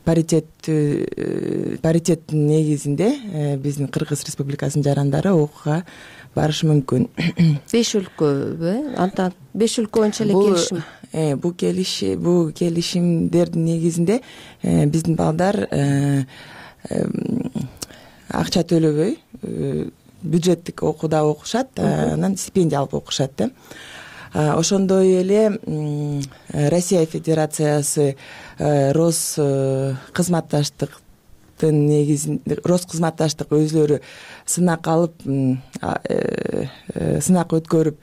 S21: паритет негизинде биздин Кыргыз Республикасынын жарандары окууга барышы мүмкүн.
S20: 5 өлкөбү? Антан 5 өлкө боюнча эле келишим.
S21: Бул келишимдердин негизинде биздин балдар акча төлөбөй бюджеттик окууда окушат, анан стипендия алып окушат да. Ошондой эле Россия Федерациясы Роскызматташтыктын негизинде Роскызматташтык өзүлөрү сынак алып, сынак өткөрүп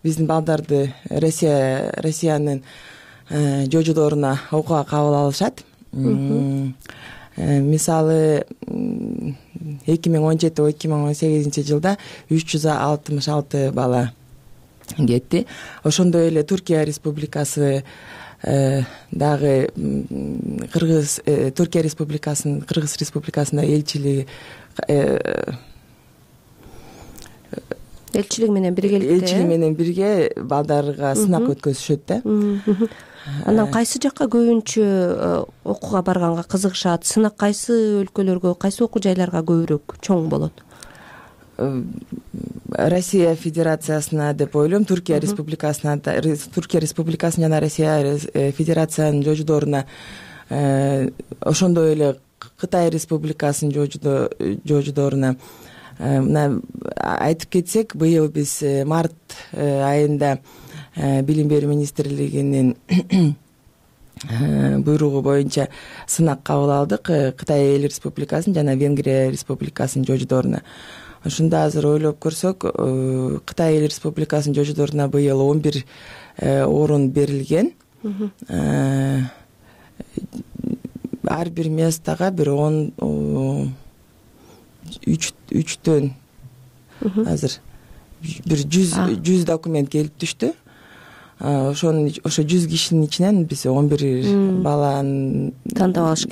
S21: биздин балдарды Россиянын жождоруна окууга кабыл алышат. Мисалы 2017-2018 жылда 366 бала кетти. Ошондой эле Туркия Республикасы дагы Туркия Республикасынын Кыргыз Республикасында элчилиги
S20: менен
S21: бирге балдарга сынак өткөзүшөт да.
S20: Анан кайсы жакка көбүнчө окууга барганга кызыгышат? Сынак кайсы өлкөлөргө, кайсы окуу жайларга көбүрөөк чоң болот?
S21: Россия Федерациясына деп ойлойм, Туркия Республикасына жана Россия Федерациянын жождоруна, ошондой эле Кытай Республикасынын жождоруна. Мына айтып кетсек, быйыл биз март айында Билим берүү министрлигинин буйругу боюнча сынак кабыл алдык Кытай Эл Республикасынын жана Венгрия Республикасынын жождоруна. Ошондо азыр ойлоп көрсөк, Кытай Эл Республикасынын жождоруна быйыл 11 орун берилген. Ар бир местага бир 3төн азыр бир 100 документ келип түштү. Ошо 100 кишинин ичинен биз 11 баланы
S20: тандап алыш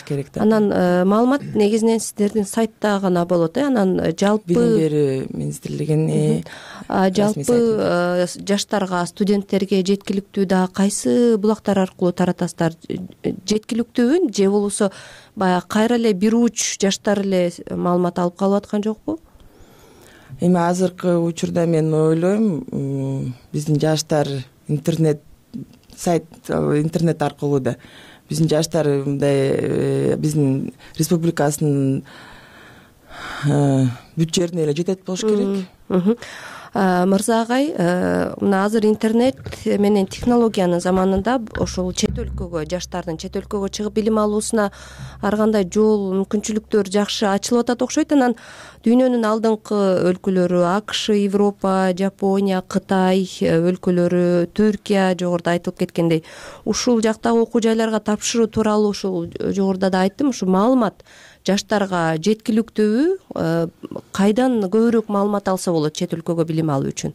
S20: керек.
S21: Да.
S20: Анан маалымат негизинен сиздердин сайтта гана болот, анан жалпы
S21: билим берүү министрлигинин
S20: жалпы жаштарга, студенттерге жеткиликтүү да кайсы булактар аркылуу таратасыздар? Жеткиликтүүбү же болбосо баягы кайра эле бир уч жаштар эле маалымат алып калып аткан жокпу?
S21: эми азыркы учурда мен ойлойм биздин жаштар интернет аркылуу да биздин жаштар мындай биздин республикасынын бүт жерине эле жетет болуш керек.
S20: Мырза агай, мына азыр интернет менен технологиянын заманында ошол чет өлкөгө, жаштардын чет өлкөгө чыгып билим алуусуна ар кандай жол, мүмкүнчүлүктөр жакшы ачылып атат окшойт. Анан дүйнөнүн алдыңкы өлкөлөрү АКШ, Европа, Жапония, Кытай өлкөлөрү, Түркия жогоруда айтылып кеткендей, ушул жактагы окуу жайларга тапшыруу тууралуу ушул жогоруда да айттым, ушу маалымат жаштарга жеткиликтүүбү? Кайдан көбүрөөк маалымат алса болот чет өлкөгө билим алуу үчүн?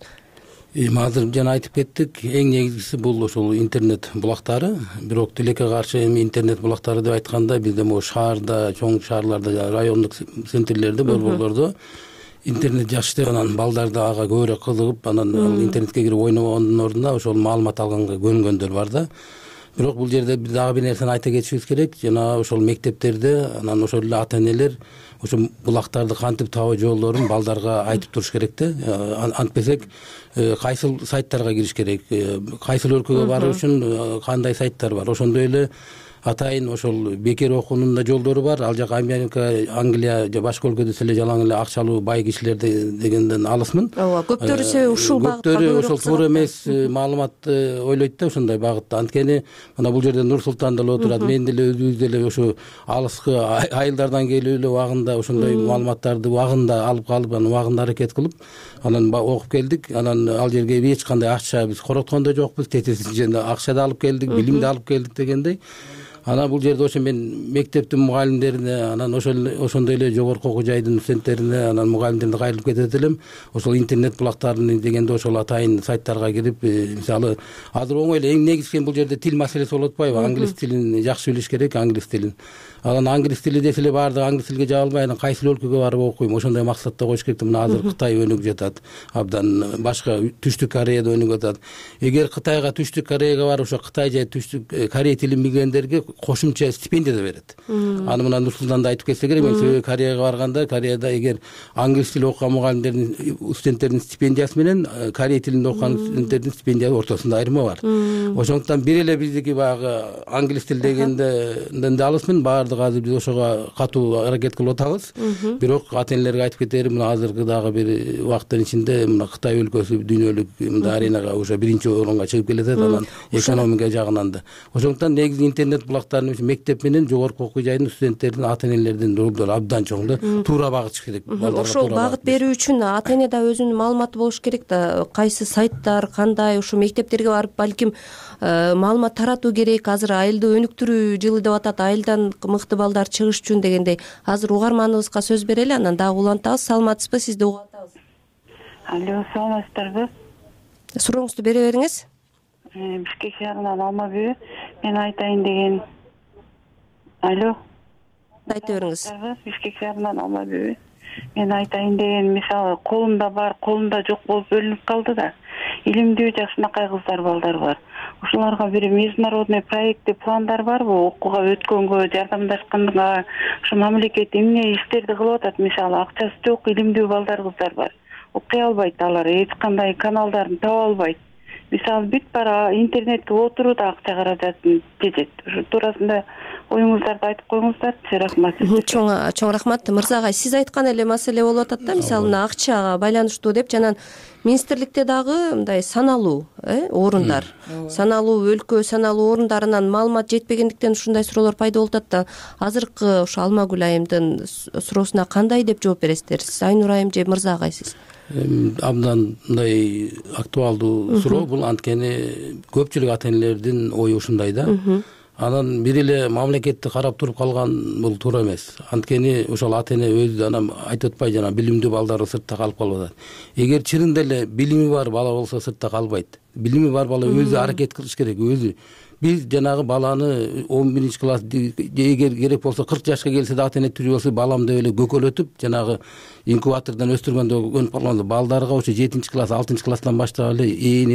S7: Азыр жана айтып кеттик, эң негизгиси бул ошол интернет булактары. Бирок тилекке каршы эми интернет булактары деп айтканда бизде могу шаарда, чоң шаарларда, райондук центрлерде, борборлордо интернет жакшы деп анан балдар да ага көбүрөөк кызыгып, анан интернетке кирип ойногондун ордуна ошол маалымат алганга көнгөндөр бар да. Бирок бул жерде дагы бир нерсени айта кетишибиз керек. Жана ошол мектептерде анан ошол эле ата-энелер ошо булактарды кантип табуу жолдорун балдарга айтып туруш керек да. Антпесек кайсыл сайттарга кириш керек, кайсыл өлкөгө баруу үчүн кандай сайттар бар. Ошондой эле атайын ошол бекер окуунун да жолдору бар. Ал жак Америка, Англия же башка өлкөдө эле жалаң эле акчалуу бай кишилер дегенден алысмын.
S20: Ооба, көптөрү себеби ушул багытта
S7: көптөрү ошол туура эмес маалыматты ойлойт да ошондой багытта. Анткени мына бул жерде Нур Султан деле отурат, мен деле өзүбүз деле ошо алыскы айылдардан келип эле убагында ошондой маалыматтарды убагында алып калып, анан убагында аракет кылып, анан окуп келдик. Анан ал жерге эч кандай акча биз короткон да жокпуз, тетесинче акча да алып келдик, билим да алып келдик дегендей. Анан бул жерде ошо мен мектептин мугалимдерине, анан ошондой эле жогорку окуу жайдын студенттерине, анан мугалимдерине кайрылып кетет элем. Ошол интернет булактарын дегенде ошол атайын сайттарга кирип, мисалы азыр оңой эле эң негизги бул жерде тил маселеси болуп атпайбы? Англис тилин жакшы билиш керек, англис тилин. Анан англис тили десе эле баардыгы англис тилге жаба албай, анан кайсыл өлкөгө барып окуйм, ошондой максатта коюш керек. Мына азыр Кытай өнүгүп жатат, абдан башка Түштүк Кореяда өнүгүп атат. Эгер Кытайга, Түштүк Кореяга барып ошо Кытай же Түштүк Корей тилин билгендерге кошумча стипендия да берет. Аны мына Нур Султанда айтып кетсе керек. Мен себеби Кореяга барганда, Кореяда эгер англис тили окуган мугалимдердин, студенттердин стипендиясы менен Корей тилинде окуган студенттердин стипендиясы ортосунда айырма бар. Ошондуктан бир эле биздики баягы англис тил дегенден да алысмын. Азыр биз ошого катуу аракет кылып атабыз. Бирок ата-энелерге айтып кетерим, мына азыркы дагы бир убакыттын ичинде мына Кытай өлкөсү дүйнөлүк мындай аренага уже биринчи орунга чыгып келатат, анан экономика жагынан да. Ошондуктан негизи интернет булактарын мектеп менен жогорку окуу жайдын студенттердин, ата-энелердин ролдору абдан чоң да. Туура багытыш керек.
S20: Ошол багыт берүү үчүн ата-эне да өзүнүн маалыматы болуш керек да. Кайсы сайттар, кандай ушу мектептерге барып балким маалымат таратуу керек. Азыр айылды өнүктүрүү жылы деп атат, айылдан мыкты балдар чыгыш үчүн дегендей. Азыр угарманыбызга сөз берели, анан дагы улантабыз. Саламатсызбы, сизди угуп атабыз.
S22: Алло, саламатсыздарбы?
S20: Сурооңузду бере бериңиз.
S22: Бишкек шаарынан Алмабүй. Мен айтайын деген. Алло.
S20: Айта бериңиз.
S22: Бишкек шаарынан Алмабүй. Мен айтайын деген, мисалы колумда бар, колумда жок болуп бөлүнүп калды да. Илимдүү жакшынакай кыздар, балдар бар. Ошолорго бир международный проекти пландар барбы? Окууга өткөнгө, жардамдашканга, ошо мамлекет эмне иштерди кылып атат? Мисалы акчасы жок илимдүү балдар, кыздар бар. Окуй албайт алар, эч кандай каналдарын таба албайт. Мисалы бүт бара интернетке отуруу да акча каражатын тежет. Ошо туурасында оюңуздарды айтып коюңуздарчы. Рахмат.
S20: Чоң рахмат. Мырза агай, сиз айткан эле маселе болуп атат да, мисалы мына акчага байланыштуу деп, жана министрликте дагы мындай саналуу орундар, саналуу өлкө, саналуу орундарынан маалымат жетпегендиктен ушундай суроолор пайда болуп атат да. Азыркы ошо Алмагүл айымдын суроосуна кандай деп жооп бересиздер? Сиз Айнур айым же Мырза агай сиз?
S7: Абдан мындай актуалдуу суроо бул, анткени көпчүлүк ата-энелердин ою ушундай да. Анан бир эле мамлекетти карап туруп калган бул туура эмес. Анткени ошол ата-эне өзү анан айтып атпайбы, жана билимдүү балдары сыртта калып калып атат. Эгер чынында эле билими бар бала болсо сыртта калбайт. Билими бар бала өзү аракет кылыш керек, өзү. Биз жанагы баланы 11 класс, эгер керек болсо 40 жашка келсе да ата-эне түрү болсо балам деп эле көкөлөтүп, жанагы инкубатордон өстүргөндө өнүп калганда балдарга ошо 7 класс, 6 класстан баштап эле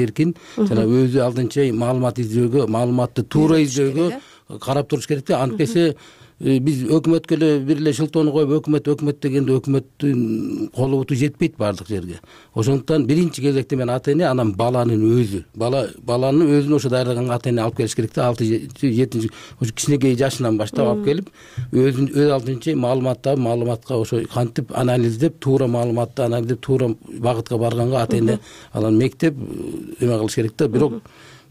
S7: эркин жана өзү алдынча маалымат издөөгө, маалыматты туура издөөгө карап туруш керек да. Антпесе биз өкмөткө эле бир эле шылтоону коюп өкмөт дегенде өкмөттүн колу буту жетпейт баардык жерге. Ошондуктан биринчи кезекте мен ата эне, анан баланын өзү, баланын өзүн ошо даярдаган ата эне алып келиш керек да. 6-7 ошо кичинекей жашынан баштап алып келип, өз алдынча маалыматка ошо кантип анализдеп, туура маалыматты анализдеп, туура багытка барганга ата эне анан мектеп эме кылыш керек да. Бирок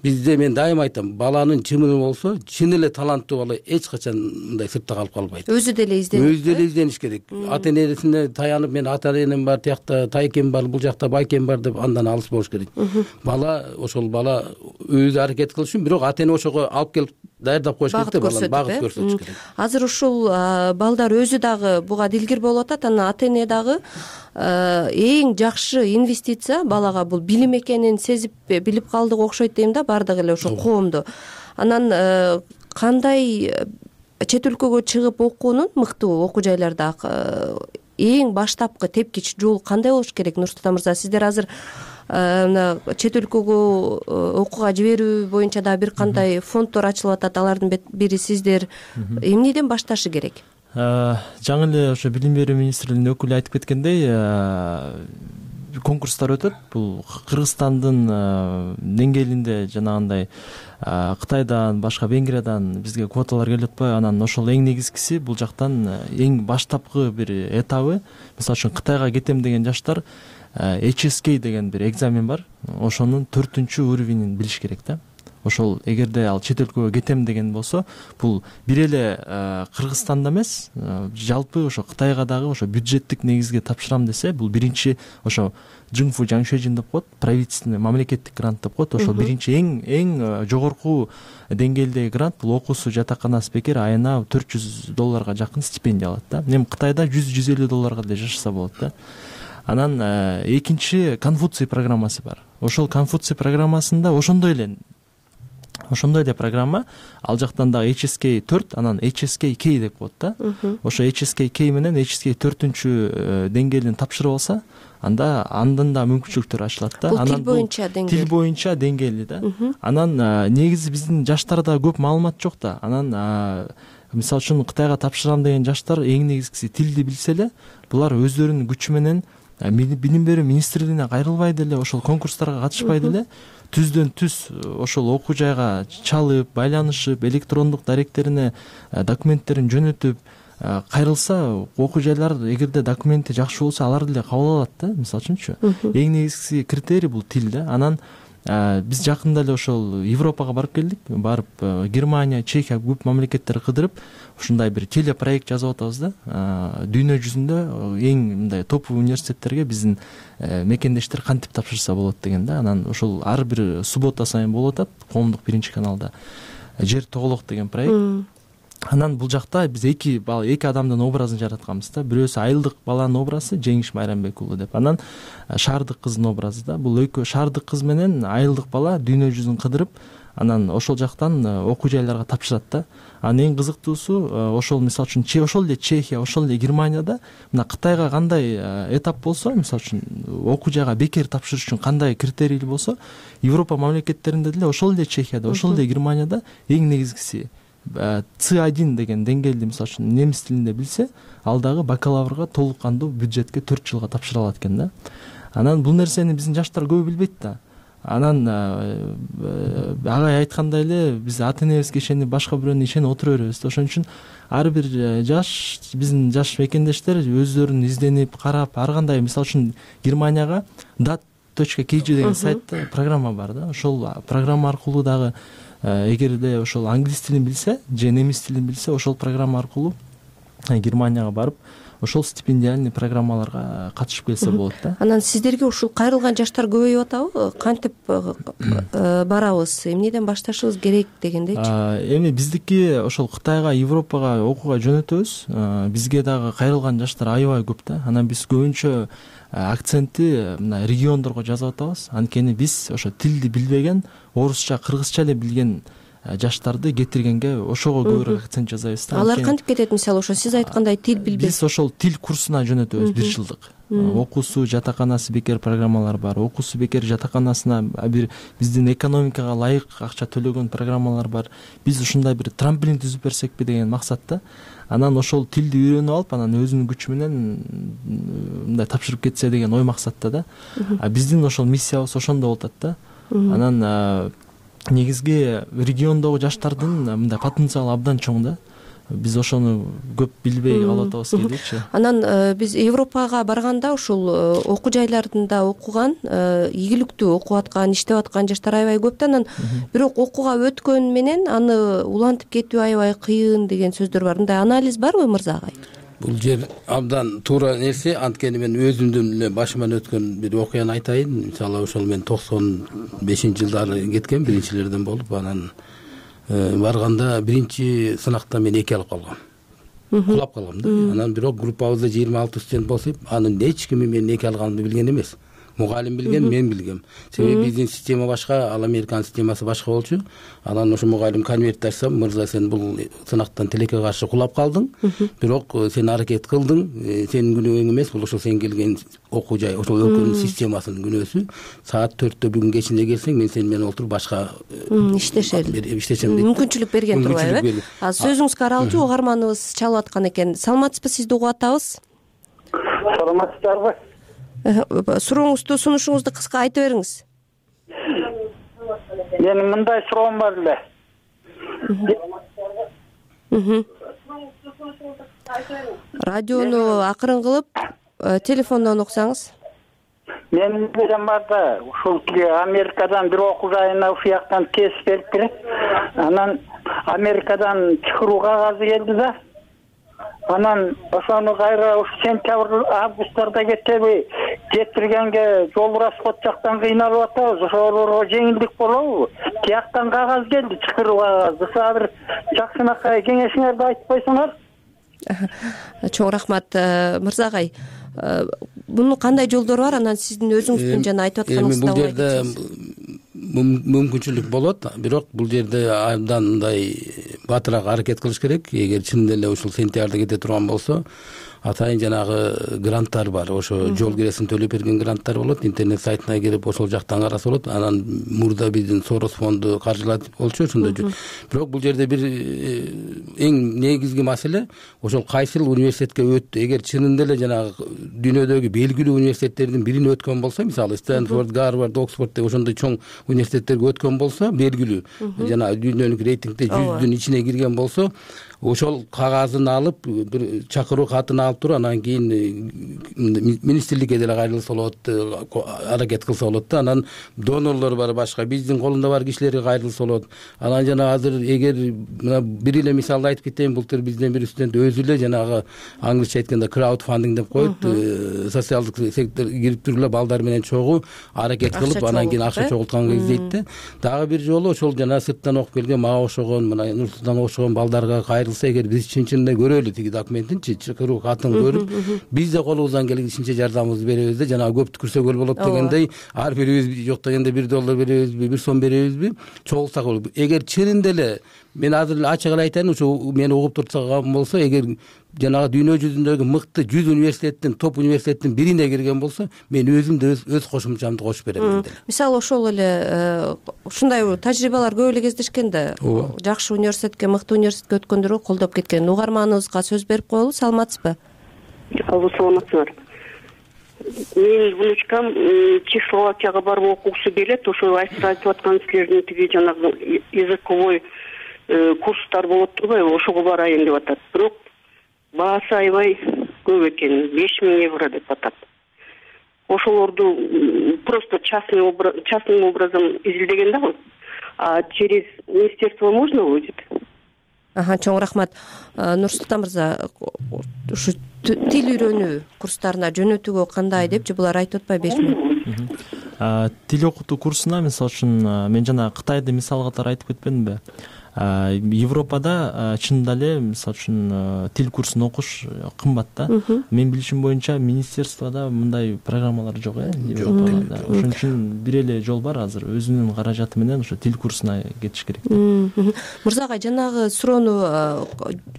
S7: бизде мен дайыма айтам, баланын чымыны болсо, чын эле таланттуу бала эч качан мындай сыртта калып калбайт.
S20: Өзү деле
S7: издениш керек. Ата энесине таянып, мен ата энем бар, тиякта тайкем бар, бул жакта байкем бар деп андан алыс болуш керек. Бала өзү аракет кылыш үчүн, бирок ата эне ошого алып келип даярдап коюш керек да, баланы багыт көрсөтүш керек.
S20: Азыр ушул балдар өзү дагы буга дилгир болуп атат, анан ата эне дагы эң жакшы инвестиция балага бул билим экенин сезип билип калдык окшойт дейм да, баардык эле ошо коомдо. Анан кандай чет өлкөгө чыгып окуунун мыктуу окуу жайларда эң баштапкы тепкич жол кандай болуш керек? Нурсултан мырза, сиздер азыр чет өлкөгө окууга жиберүү боюнча да бир кандай фонддор ачылып атат, алардын бири сиздер. Эмнеден башташы керек?
S4: Жаңы эле ошо билим берүү министрлигинин өкүлү айтып кеткендей, конкурстар өтөт. Бул Кыргызстандын деңгээлинде жанагындай Кытайдан, башка Венгриядан бизге квоталар келип атпайбы? Анан ошол эң негизгиси бул жактан эң баштапкы бир этабы. Мисалы үчүн Кытайга кетем деген жаштар HSK деген бир экзамен бар. Ошонун 4-уровенин билиш керек да. Ошол эгерде ал чет өлкөгө кетем деген болсо, бул бир эле Кыргызстанда эмес, жалпы ошо Кытайга дагы ошо бюджеттик негизге тапшырам десе, бул биринчи ошо Жыңфу Жаңшежин деп коет, правительственный мамлекеттик грант деп коет. Ошол биринчи эң жогорку деңгээлдеги грант. Бул окуусу жатаканасы бекер айына $400 жакын стипендия алат да. Эми Кытайда $100-150 деле жашаса болот да. Анан экинчи Конфуций программасы бар. Ошол Конфуций программасында ошондой эле программа, ал жактан дагы HSK 4, анан HSK K деп коет да. Ошо HSK K менен HSK 4 деңгээлин тапшырып алса, андан да мүмкүнчүлүктөр ачылат да.
S20: Анан
S4: тил боюнча деңгээли да. Анан негизи биздин жаштарда көп маалымат жок да. Анан мисалы үчүн Кытайга тапшырам деген жаштар эң негизгиси тилди билсе эле, булар өздөрүнүн күчү менен билим берүү министрлигине кайрылбай деле, ошол конкурстарга катышпай деле, түздөн түз ошол окуу жайга чалып, байланышып, электрондук даректерине документтерин жөнөтүп кайрылса, окуу жайлар эгерде документи жакшы болсо, алар деле кабыл алат да. Мисалы үчүнчү, эң негизги критерий бул тил да. Анан биз жакында эле ошол Европага барып келдик. Барып Германия, Чехия көп мамлекеттер кыдырып, ушундай бир телепроект жазып атабыз да. Дүйнө жүзүндө эң мындай топовый университеттерге биздин мекендештер кантип тапшырса болот деген да. Анан ошол ар бир суббота сайын болуп атат коомдук биринчи каналда. Жер тоголок деген проект. Анан бул жакта биз эки адамдын образын жаратканбыз да. Бирөөсү айылдык баланын образы Жеңиш Майрамбек уулу деп. Анан шаардык кыздын образы да. Бул экөө шаардык кыз менен айылдык бала дүйнө жүзүн кыдырып, анан ошол жактан окуу жайларга тапшырат да. Анан эң кызыктуусу, ошол мисалы үчүн ошол эле Чехия, ошол эле Германияда мына Кытайга кандай этап болсо, мисалы үчүн окуу жайга бекер тапшырыш үчүн кандай критерийлүү болсо, Европа мамлекеттеринде деле ошол эле Чехияда, ошол эле Германияда эң негизгиси C1 деген деңгээлди мисалы үчүн немис тилинде билсе, ал дагы бакалаврга толук кандуу бюджетке 4 жылга тапшыра алат экен да. Анан бул нерсени биздин жаштар көбү билбейт да. Анан агай айткандай эле биз ата энебизге ишенип башка бирөөнү ишенип отура беребиз да. Ошон үчүн ар бир биздин жаш мекендештер өздөрүн изденип карап, ар кандай мисалы үчүн Германияга dat.kg деген сайтта программа бар да. Ошол программа аркылуу дагы эгерде ошол англис тилин билсе же немис тилин билсе, ошол программа аркылуу Германияга барып, ошол стипендиальный программаларга катышып келсе болот да.
S20: Анан сиздерге ушул кайрылган жаштар көбөйүп атабы? Кантип барабыз? Эмнеден башташыбыз керек дегендейчи?
S4: Эми биздики ошол Кытайга, Европага окууга жөнөтөбүз. Бизге дагы кайрылган жаштар аябай көп да. Анан биз көбүнчө акцентти мына региондорго жазып атабыз. Анткени биз ошо тилди билбеген, орусча, кыргызча эле билген жаштарды кетиргенге ошого көбүрөөк акцент жасайбыз да.
S20: Алар кантип кетет? Мисалы ошо сиз айткандай тил билбей.
S4: Биз ошол тил курсуна жөнөтөбүз 1 жылдык. Окуусу жатаканасы бекер программалар бар. Окуусу бекер жатаканасына бир биздин экономикага ылайык акча төлөгөн программалар бар. Биз ушундай бир трамплин түзүп берсекпи деген максатта. Анан ошол тилди үйрөнүп алып, анан өзүнүн күчү менен мындай тапшырып кетсе деген ой максатта да. Биздин ошол миссиябыз ошондо болот да. Анан негизги региондогу жаштардын мындай потенциалы абдан чоң да. Биз ошону көп билбей калып атабыз кейдечи.
S20: Анан биз Европага барганда ушул окуу жайларында окуган, ийгиликтүү окуп аткан, иштеп аткан жаштар аябай көп да. Анан бирок окууга өткөн менен аны улантып кетүү аябай кыйын деген сөздөр бар. Мындай анализ барбы Мырза агай?
S7: Бул жер абдан туура нерсе. Анткени мен өзүмдүн эле башыман өткөн бир окуяны айтайын. Мисалы ошол мен 95-жылдары кеткен, биринчилерден болуп, анан барганда биринчи сынакта мен 2 алып калгам. Кулап калгам да. Анан бирок группабызда 26 студент болсоп, анын эч кими мен 2 алганымды билген эмес. Мугалим билген, мен билгем. Себеби биздин система башка, ал Американын системасы башка болчу. Анан ошо мугалим конвертти ачсам, Мырза, сен бул сынактан тилекке каршы кулап калдың, бирок сен аракет кылдың, сенин күнөөң эмес, бул ошол сен келген окуу жай, ошол өлкөнүн системасынын күнөөсү. Саат 4-тө бүгүн кечинде келсең, мен сен менен отуруп башка иштешем деп
S20: мүмкүнчүлүк берген турбайбы? Сөзүңүзгө аралчу угарманыбыз чалып аткан экен. Саламатсызбы, сизди угуп атабыз.
S2: Саламатсыздарбы?
S20: Сурооңузду, сунушуңузду кыска айтып бериңиз.
S2: Менин мындай суроом бар эле.
S20: Радиону акырын кылып, телефондон уксаңыз.
S2: Менин билем бар да, ушул Америкадан бир окуу жайына ушул жактан тез берип берет. Анан Америкадан чакыруу кагазы келди да. Анан ошону кайра ушу сентябрь, августтарда кетеби, кетиргенге жол расход жактан кыйналып атабыз. Ошолорго жеңилдик болобу? Тияктан кагаз келди, чакыруу кагазы. Ошо бир жакшынакай кеңешиңерди айтып койсоңор.
S20: Чоң рахмат, Мырза агай. Мунун кандай жолдору бар? Анан сиздин өзүңүздүн жана айтып атканыңызды
S7: бул жерде мүмкүнчүлүк болот, бирок бул жерде абдан мындай батыраак аракет кылыш керек. Эгер чын эле ушул сентябрда кете турган болсо, атайын жанагы гранттар бар. Ошо жол киресин төлөп берген гранттар болот. Интернет сайтына кирип ошол жактан караса болот. Анан мурда биздин Сорос фонду каржылатып болчу ошондой. Бирок бул жерде бир эң негизги маселе ошол кайсыл университетке өттү. Эгер чынында эле жанагы дүйнөдөгү белгилүү университеттердин бирин өткөн болсо, мисалы Стэнфорд, Гарвард, Оксфорд деп ошондой чоң университеттерге өткөн болсо, белгилүү жана дүйнөлүк рейтингде 100-дүн ичине кирген болсо, ошол кагазын алып, бир чакыруу катын алып туруп, анан кийин министрликке деле кайрылса болот, аракет кылса болот да. Анан донорлор бар башка, биздин колунда бар кишилерге кайрылса болот. Анан жана азыр эгер мына бир эле мисалды айтып кетейин, былтыр бизден бир студент өзү эле жанагы англисче айтканда краудфандинг деп коет, социалдык сектор кирип туруп эле балдар менен чогуу аракет кылып, анан кийин акча чогултканга издейт да. Дагы бир жолу ошол жана сырттан окуп келген, мага окшогон, мына Нур-Султанга окшогон балдарга кайрылса, эгер биз чын-чынында көрөлү тиги документинчи, чакыруу катын көрүп, биз да колубуздан келишинче жардамыбызды беребиз да. Жана көп түкүрсөгөл болот дегендей, ар бирибиз жок дегенде $1 беребизби, 1 сом беребизби, чогулсак болот. Эгер чынында эле мен азыр эле ачык эле айтайын, ушу мени угуп турсаган болсо, эгер жанагы дүйнө жүзүндөгү мыкты 100 университеттин, топ университеттин бирине кирген болсо, мен өзүм да өз кошумчамды кошуп берем.
S20: Мисалы ошол эле ушундай тажрыйбалар көп эле кездешкен да. Жакшы университетке, мыкты университетке өткөндөргө колдоп кеткен. Угарманыбызга сөз берип коелу. Саламатсызбы?
S2: Алло, саламатсызбы? Менин внучкам Чехословакияга барып окугусу келет. Ошо айтып аткан силердин тиги жанагы языковой курстар болот турбайбы? Ошого барайын деп атат. Бирок баасы аябай көп экен, €5000 деп атат. Ошолорду просто частным образом изилдеген да, а через министерство можно будет?
S20: Чоң рахмат. Нурсултан мырза, ушу тил үйрөнүү курстарына жөнөтүүгө кандай депчи, булар айтып атпайбы 5000?
S4: Тил окутуу курсуна, мисалы үчүн, мен жана Кытайды мисал катары айтып кетпедимби? Европада чынында эле мисалы үчүн тил курсун окуш кымбат да. Менин билишим боюнча министерствода мындай программалар жок Европада. Ошон үчүн бир эле жол бар азыр, өзүнүн каражаты менен ошо тил курсуна кетиш керек.
S20: Мырза агай, жанагы суроону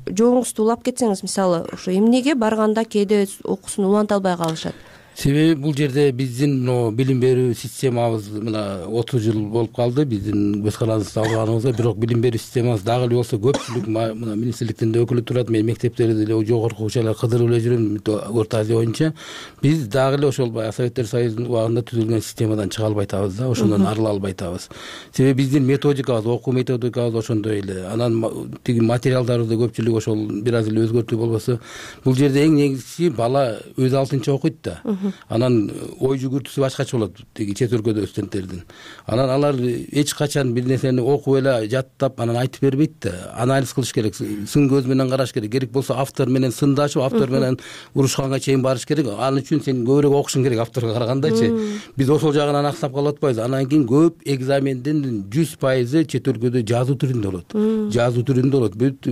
S20: жооңузду улап кетсеңиз, мисалы ошо эмнеге барганда кээде окуусун уланта албай калышат?
S7: Себеби бул жерде биздин билим берүү системабыз мына 30 жыл болуп калды биздин көз карандыбызды алганыбызга, бирок билим берүү системабыз дагы эле болсо көпчүлүк мына министрликтин да өкүлү турат, мен мектептерде деле жогорку окуучулар кыдырып эле жүрөм Орто Азия боюнча. Биз дагы эле ошол баягы Советтер Союзунун убагында түзүлгөн системадан чыга албай атабыз да, ошондон арыла албай атабыз. Себеби биздин методикабыз, окуу методикабыз ошондой эле. Анан тиги материалдарыбызды көпчүлүк ошол бир аз эле өзгөртүү болбосо, бул жерде эң негизгиси бала өз алтынча окуйт да. Анан ой жүгүртүүсү башкача болот тиги чет өлкөдө студенттердин. Анан алар эч качан бир нерсени окуп эле жаттап анан айтып бербейт да. Анализ кылыш керек, сын көз менен караш керек. Керек болсо автор менен сындашып, автор менен урушканга чейин барыш керек. Ал үчүн сен көбүрөөк окушуң керек авторго карагандачы. Биз ошол жагынан аксап калып атпайбыз. Анан кийин көп экзамендин 100% чет өлкөдө жазуу түрүндө болот. Жазуу түрүндө болот. Бүт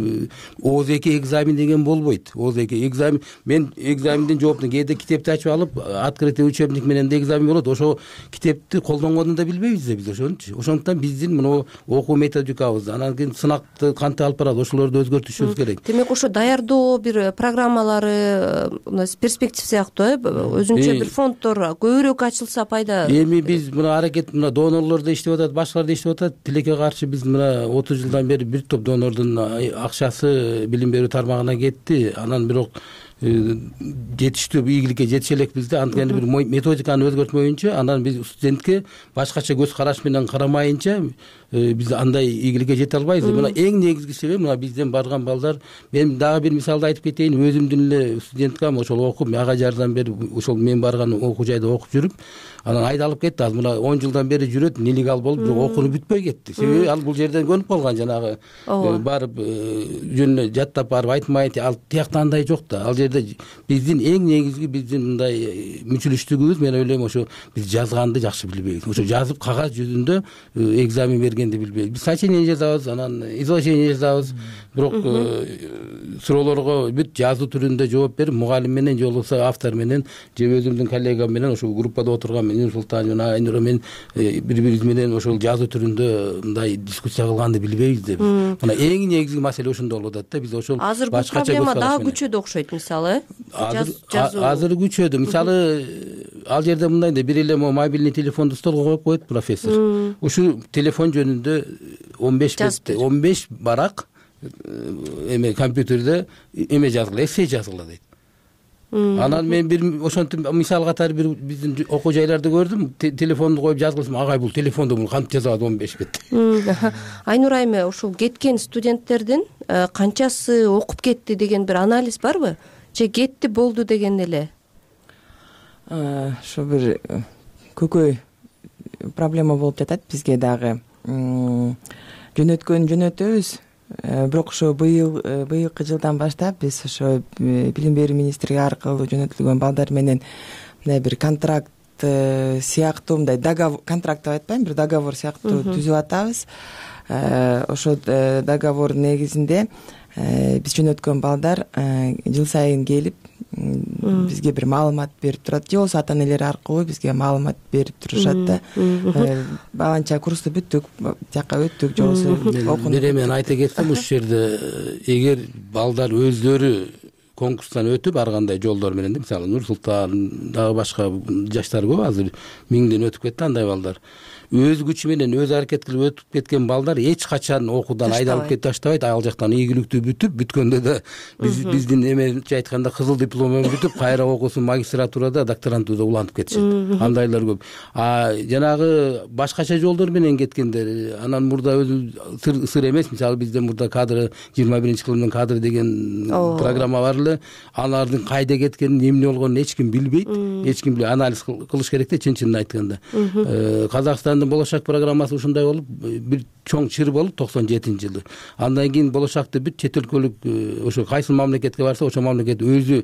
S7: ОЗК экзамен деген болбойт. ОЗК экзамен, мен экзамендин жооптун кээде китепти ачып алып открытый учебник менен да экзамен болот. Ошо китепти колдонгонун да билбейбиз да биз ошончу. Ошондуктан биздин мына окуу методикабыз, анан кийин сынакты кантип алып барат, ошолорду өзгөртүшүбүз керек.
S20: Демек ошо даярдоо бир программалары, перспектив сыяктуу өзүнчө бир фонддор көбүрөөк ачылса пайда.
S7: Эми биз мына аракет, мына донорлор да иштеп атат, башкалар да иштеп атат. Тилекке каршы биз мына 30 жылдан бери бир топ донордун акчасы билим берүү тармагына кетти. Анан бирок жетиштүү ийгиликке жетише элекпиз да. Анткени бир методиканы өзгөртмөйүнчө, анан биз студентке башкача көз караш менен карамайынча биз андай ийгиликке жете албайбыз. Мына эң негизги себеп мына бизден барган балдар, мен дагы бир мисалды айтып кетейин. Өзүмдүн эле студенткам ошол окуп, ага жардан бери ошол мен барган окуу жайда окуп жүрүп, анан айдалып кетти. Ал мына 10 жылдан бери жүрөт, нелегал болуп, бирок окууну бүтпөй кетти. Себеби ал бул жерден көнүп калган, жанагы барып жөнүнө жаттап барып айтмайт. Ал тиякта андай жок да. Ал жерде биздин эң негизги биздин мындай мүчүлүштүгүбүз, мен ойлойм, ошо биз жазганды жакшы билбейбиз. Ошо жазып кагаз жүзүндө экзамен бергенди билбейбиз. Биз сочинение жазабыз, анан изложение жазабыз, бирок суроолорго бүт жазуу түрүндө жооп берип, мугалим менен же болбосо автор менен же өзүмдүн коллегам менен ошол группада отурган Нур Султан жана Айнура мен бири-бирибиз менен ошол жазуу түрүндө мындай дискуссия кылганды билбейбиз деп. Мына эң негизги маселе ошондо болуп атат да. Биз ошол
S20: азыр бул проблема дагы күчөдү окшойт, мисалы.
S7: Азыр күчөдү. Мисалы ал жерде мындай да, бир эле мобильный телефонду столго коюп коет профессор. Ушул телефон жөнүндө 15 барак эме компьютерде эме жазгыла, эссе жазгыла дейт. Анан мен бир ошентип мисал катары бир биздин окуу жайларды көрдүм. Телефонду коюп жазгылсам, агай бул телефонду кантип жазабат 15 бет.
S20: Айнура айме, ушул кеткен студенттердин канчасы окуп кетти деген бир анализ барбы? Же кетти болду деген эле?
S21: Ошо бир көкөй проблема болуп жатат бизге дагы. Жөнөтөбүз. Бирок ошо быйылкы жылдан баштап биз ошо билим берүү министрлиги аркылуу жөнөтүлгөн балдар менен мындай бир контракт сыяктуу, мындай договор, контракт деп айтпайм, бир договор сыяктуу түзүп атабыз. Ошо договор негизинде биз жөнөткөн балдар жыл сайын келип бизге бир маалымат берип турат, же болбосо ата энелери аркылуу бизге маалымат берип турушат да. Баланча курсту бүттүк, жака өттүк, же болбосо окуну.
S7: Бир эме айта кетсем, ушул жерде эгер балдар өздөрү конкурстан өтүп ар кандай жолдор менен, мисалы Нур Султан дагы башка жаштар көп, азыр 1000ден өтүп кетти андай балдар. Өз күчү менен өз аракет кылып өтүп кеткен балдар эч качан окуудан айдалып кетип таштабайт. Ал жактан ийгиликтүү бүткөндө да биздин эмечи айтканда кызыл диплом менен бүтүп, кайра окуусун магистратурада, докторантурада улантып кетишет. Андайлар көп. Жанагы башкача жолдор менен кеткендер, анан мурда өзү сыр эмес, мисалы бизден мурда кадр 21-кылымдын кадры деген программа бар эле алардын кайда кеткенин, эмне болгонун эч ким билбейт, эч ким анализ кылыш керек да, чын айтканда. Казакстандын болочак программасы ушундай болуп, бир чоң чыр болуп 97-жылы. Андан кийин болочакты бүт чет өлкөлүк ошо кайсы мамлекетке барса, ошол мамлекет өзү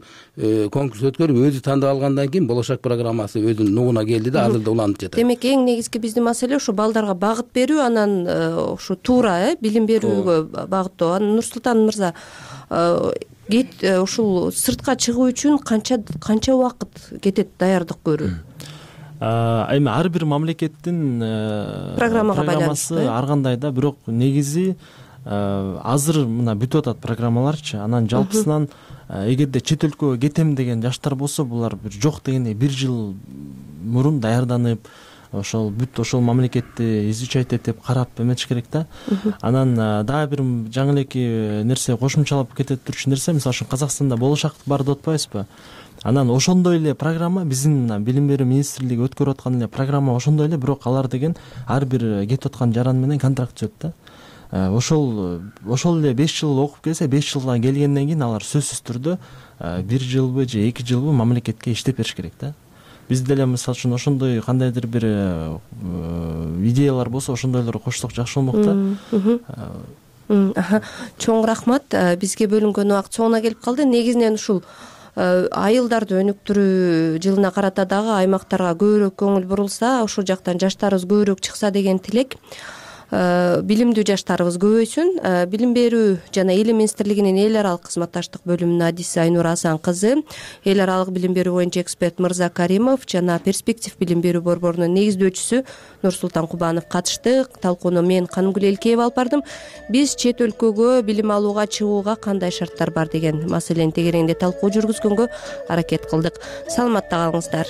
S7: конкурс өткөрүп, өзү тандап алгандан кийин болочак программасы өзүнүн нугуна келди да, азыр да уланып жатат.
S20: Демек эң негизги биздин маселе ушу балдарга багыт берүү, анан ушу туура билим берүүгө багыттоо. Анан Нурсултан мырза, ушул сыртка чыгуу үчүн канча убакыт кетет даярдык көрүү?
S4: Эми ар бир мамлекеттин программасы ар кандай да, бирок негизи азыр мына бүтүп атат программаларчы. Анан жалпысынан эгерде чет өлкөгө кетем деген жаштар болсо, булар бир жок дегенде 1 жыл мурун даярданып, ошол бүт ошол мамлекетти изучать этип карап эметиш керек да. Анан дагы бир жаңы элеки нерсе кошумчалап кетет турчу нерсе, мисалы үчүн Казакстанда болочак бар деп атпайбызбы? Анан ошондой эле программа биздин мына билим берүү министрлиги өткөрүп аткан эле программа ошондой эле, бирок алар деген ар бир кетип аткан жаран менен контракт түзөт да. Ошол эле 5 жыл окуп келсе, 5 жылдан келгенден кийин алар сөзсүз түрдө 1 жылбы же 2 жылбы мамлекетке иштеп бериш керек да. Бизде деле мисалы үчүн ошондой кандайдыр бир идеялар болсо, ошондойлорго кошсок жакшы болмок да.
S20: Чоң рахмат. Бизге бөлүнгөн убакыт соңуна келип калды. Негизинен ушул айылдарды өнүктүрүү жылына карата дагы аймактарга көбүрөөк көңүл бурулса, ошол жактан жаштарыбыз көбүрөөк чыкса деген тилек. Билимдүү жаштарыбыз көбөйсүн. Билим берүү жана Илим министрлигинин эл аралык кызматташтык бөлүмүнүн адиси Айнура Асан кызы, эл аралык билим берүү боюнча эксперт Мырза Каримов жана Перспектив билим берүү борборунун негиздөөчүсү Нурсултан Кубанов катышты. Талкууну мен Канымгүл Элкеева алып бардым. Биз чет өлкөгө билим алууга чыгууга кандай шарттар бар деген маселени тегереңде талкуу жүргүзгөнгө аракет кылдык. Саламатта калыңыздар.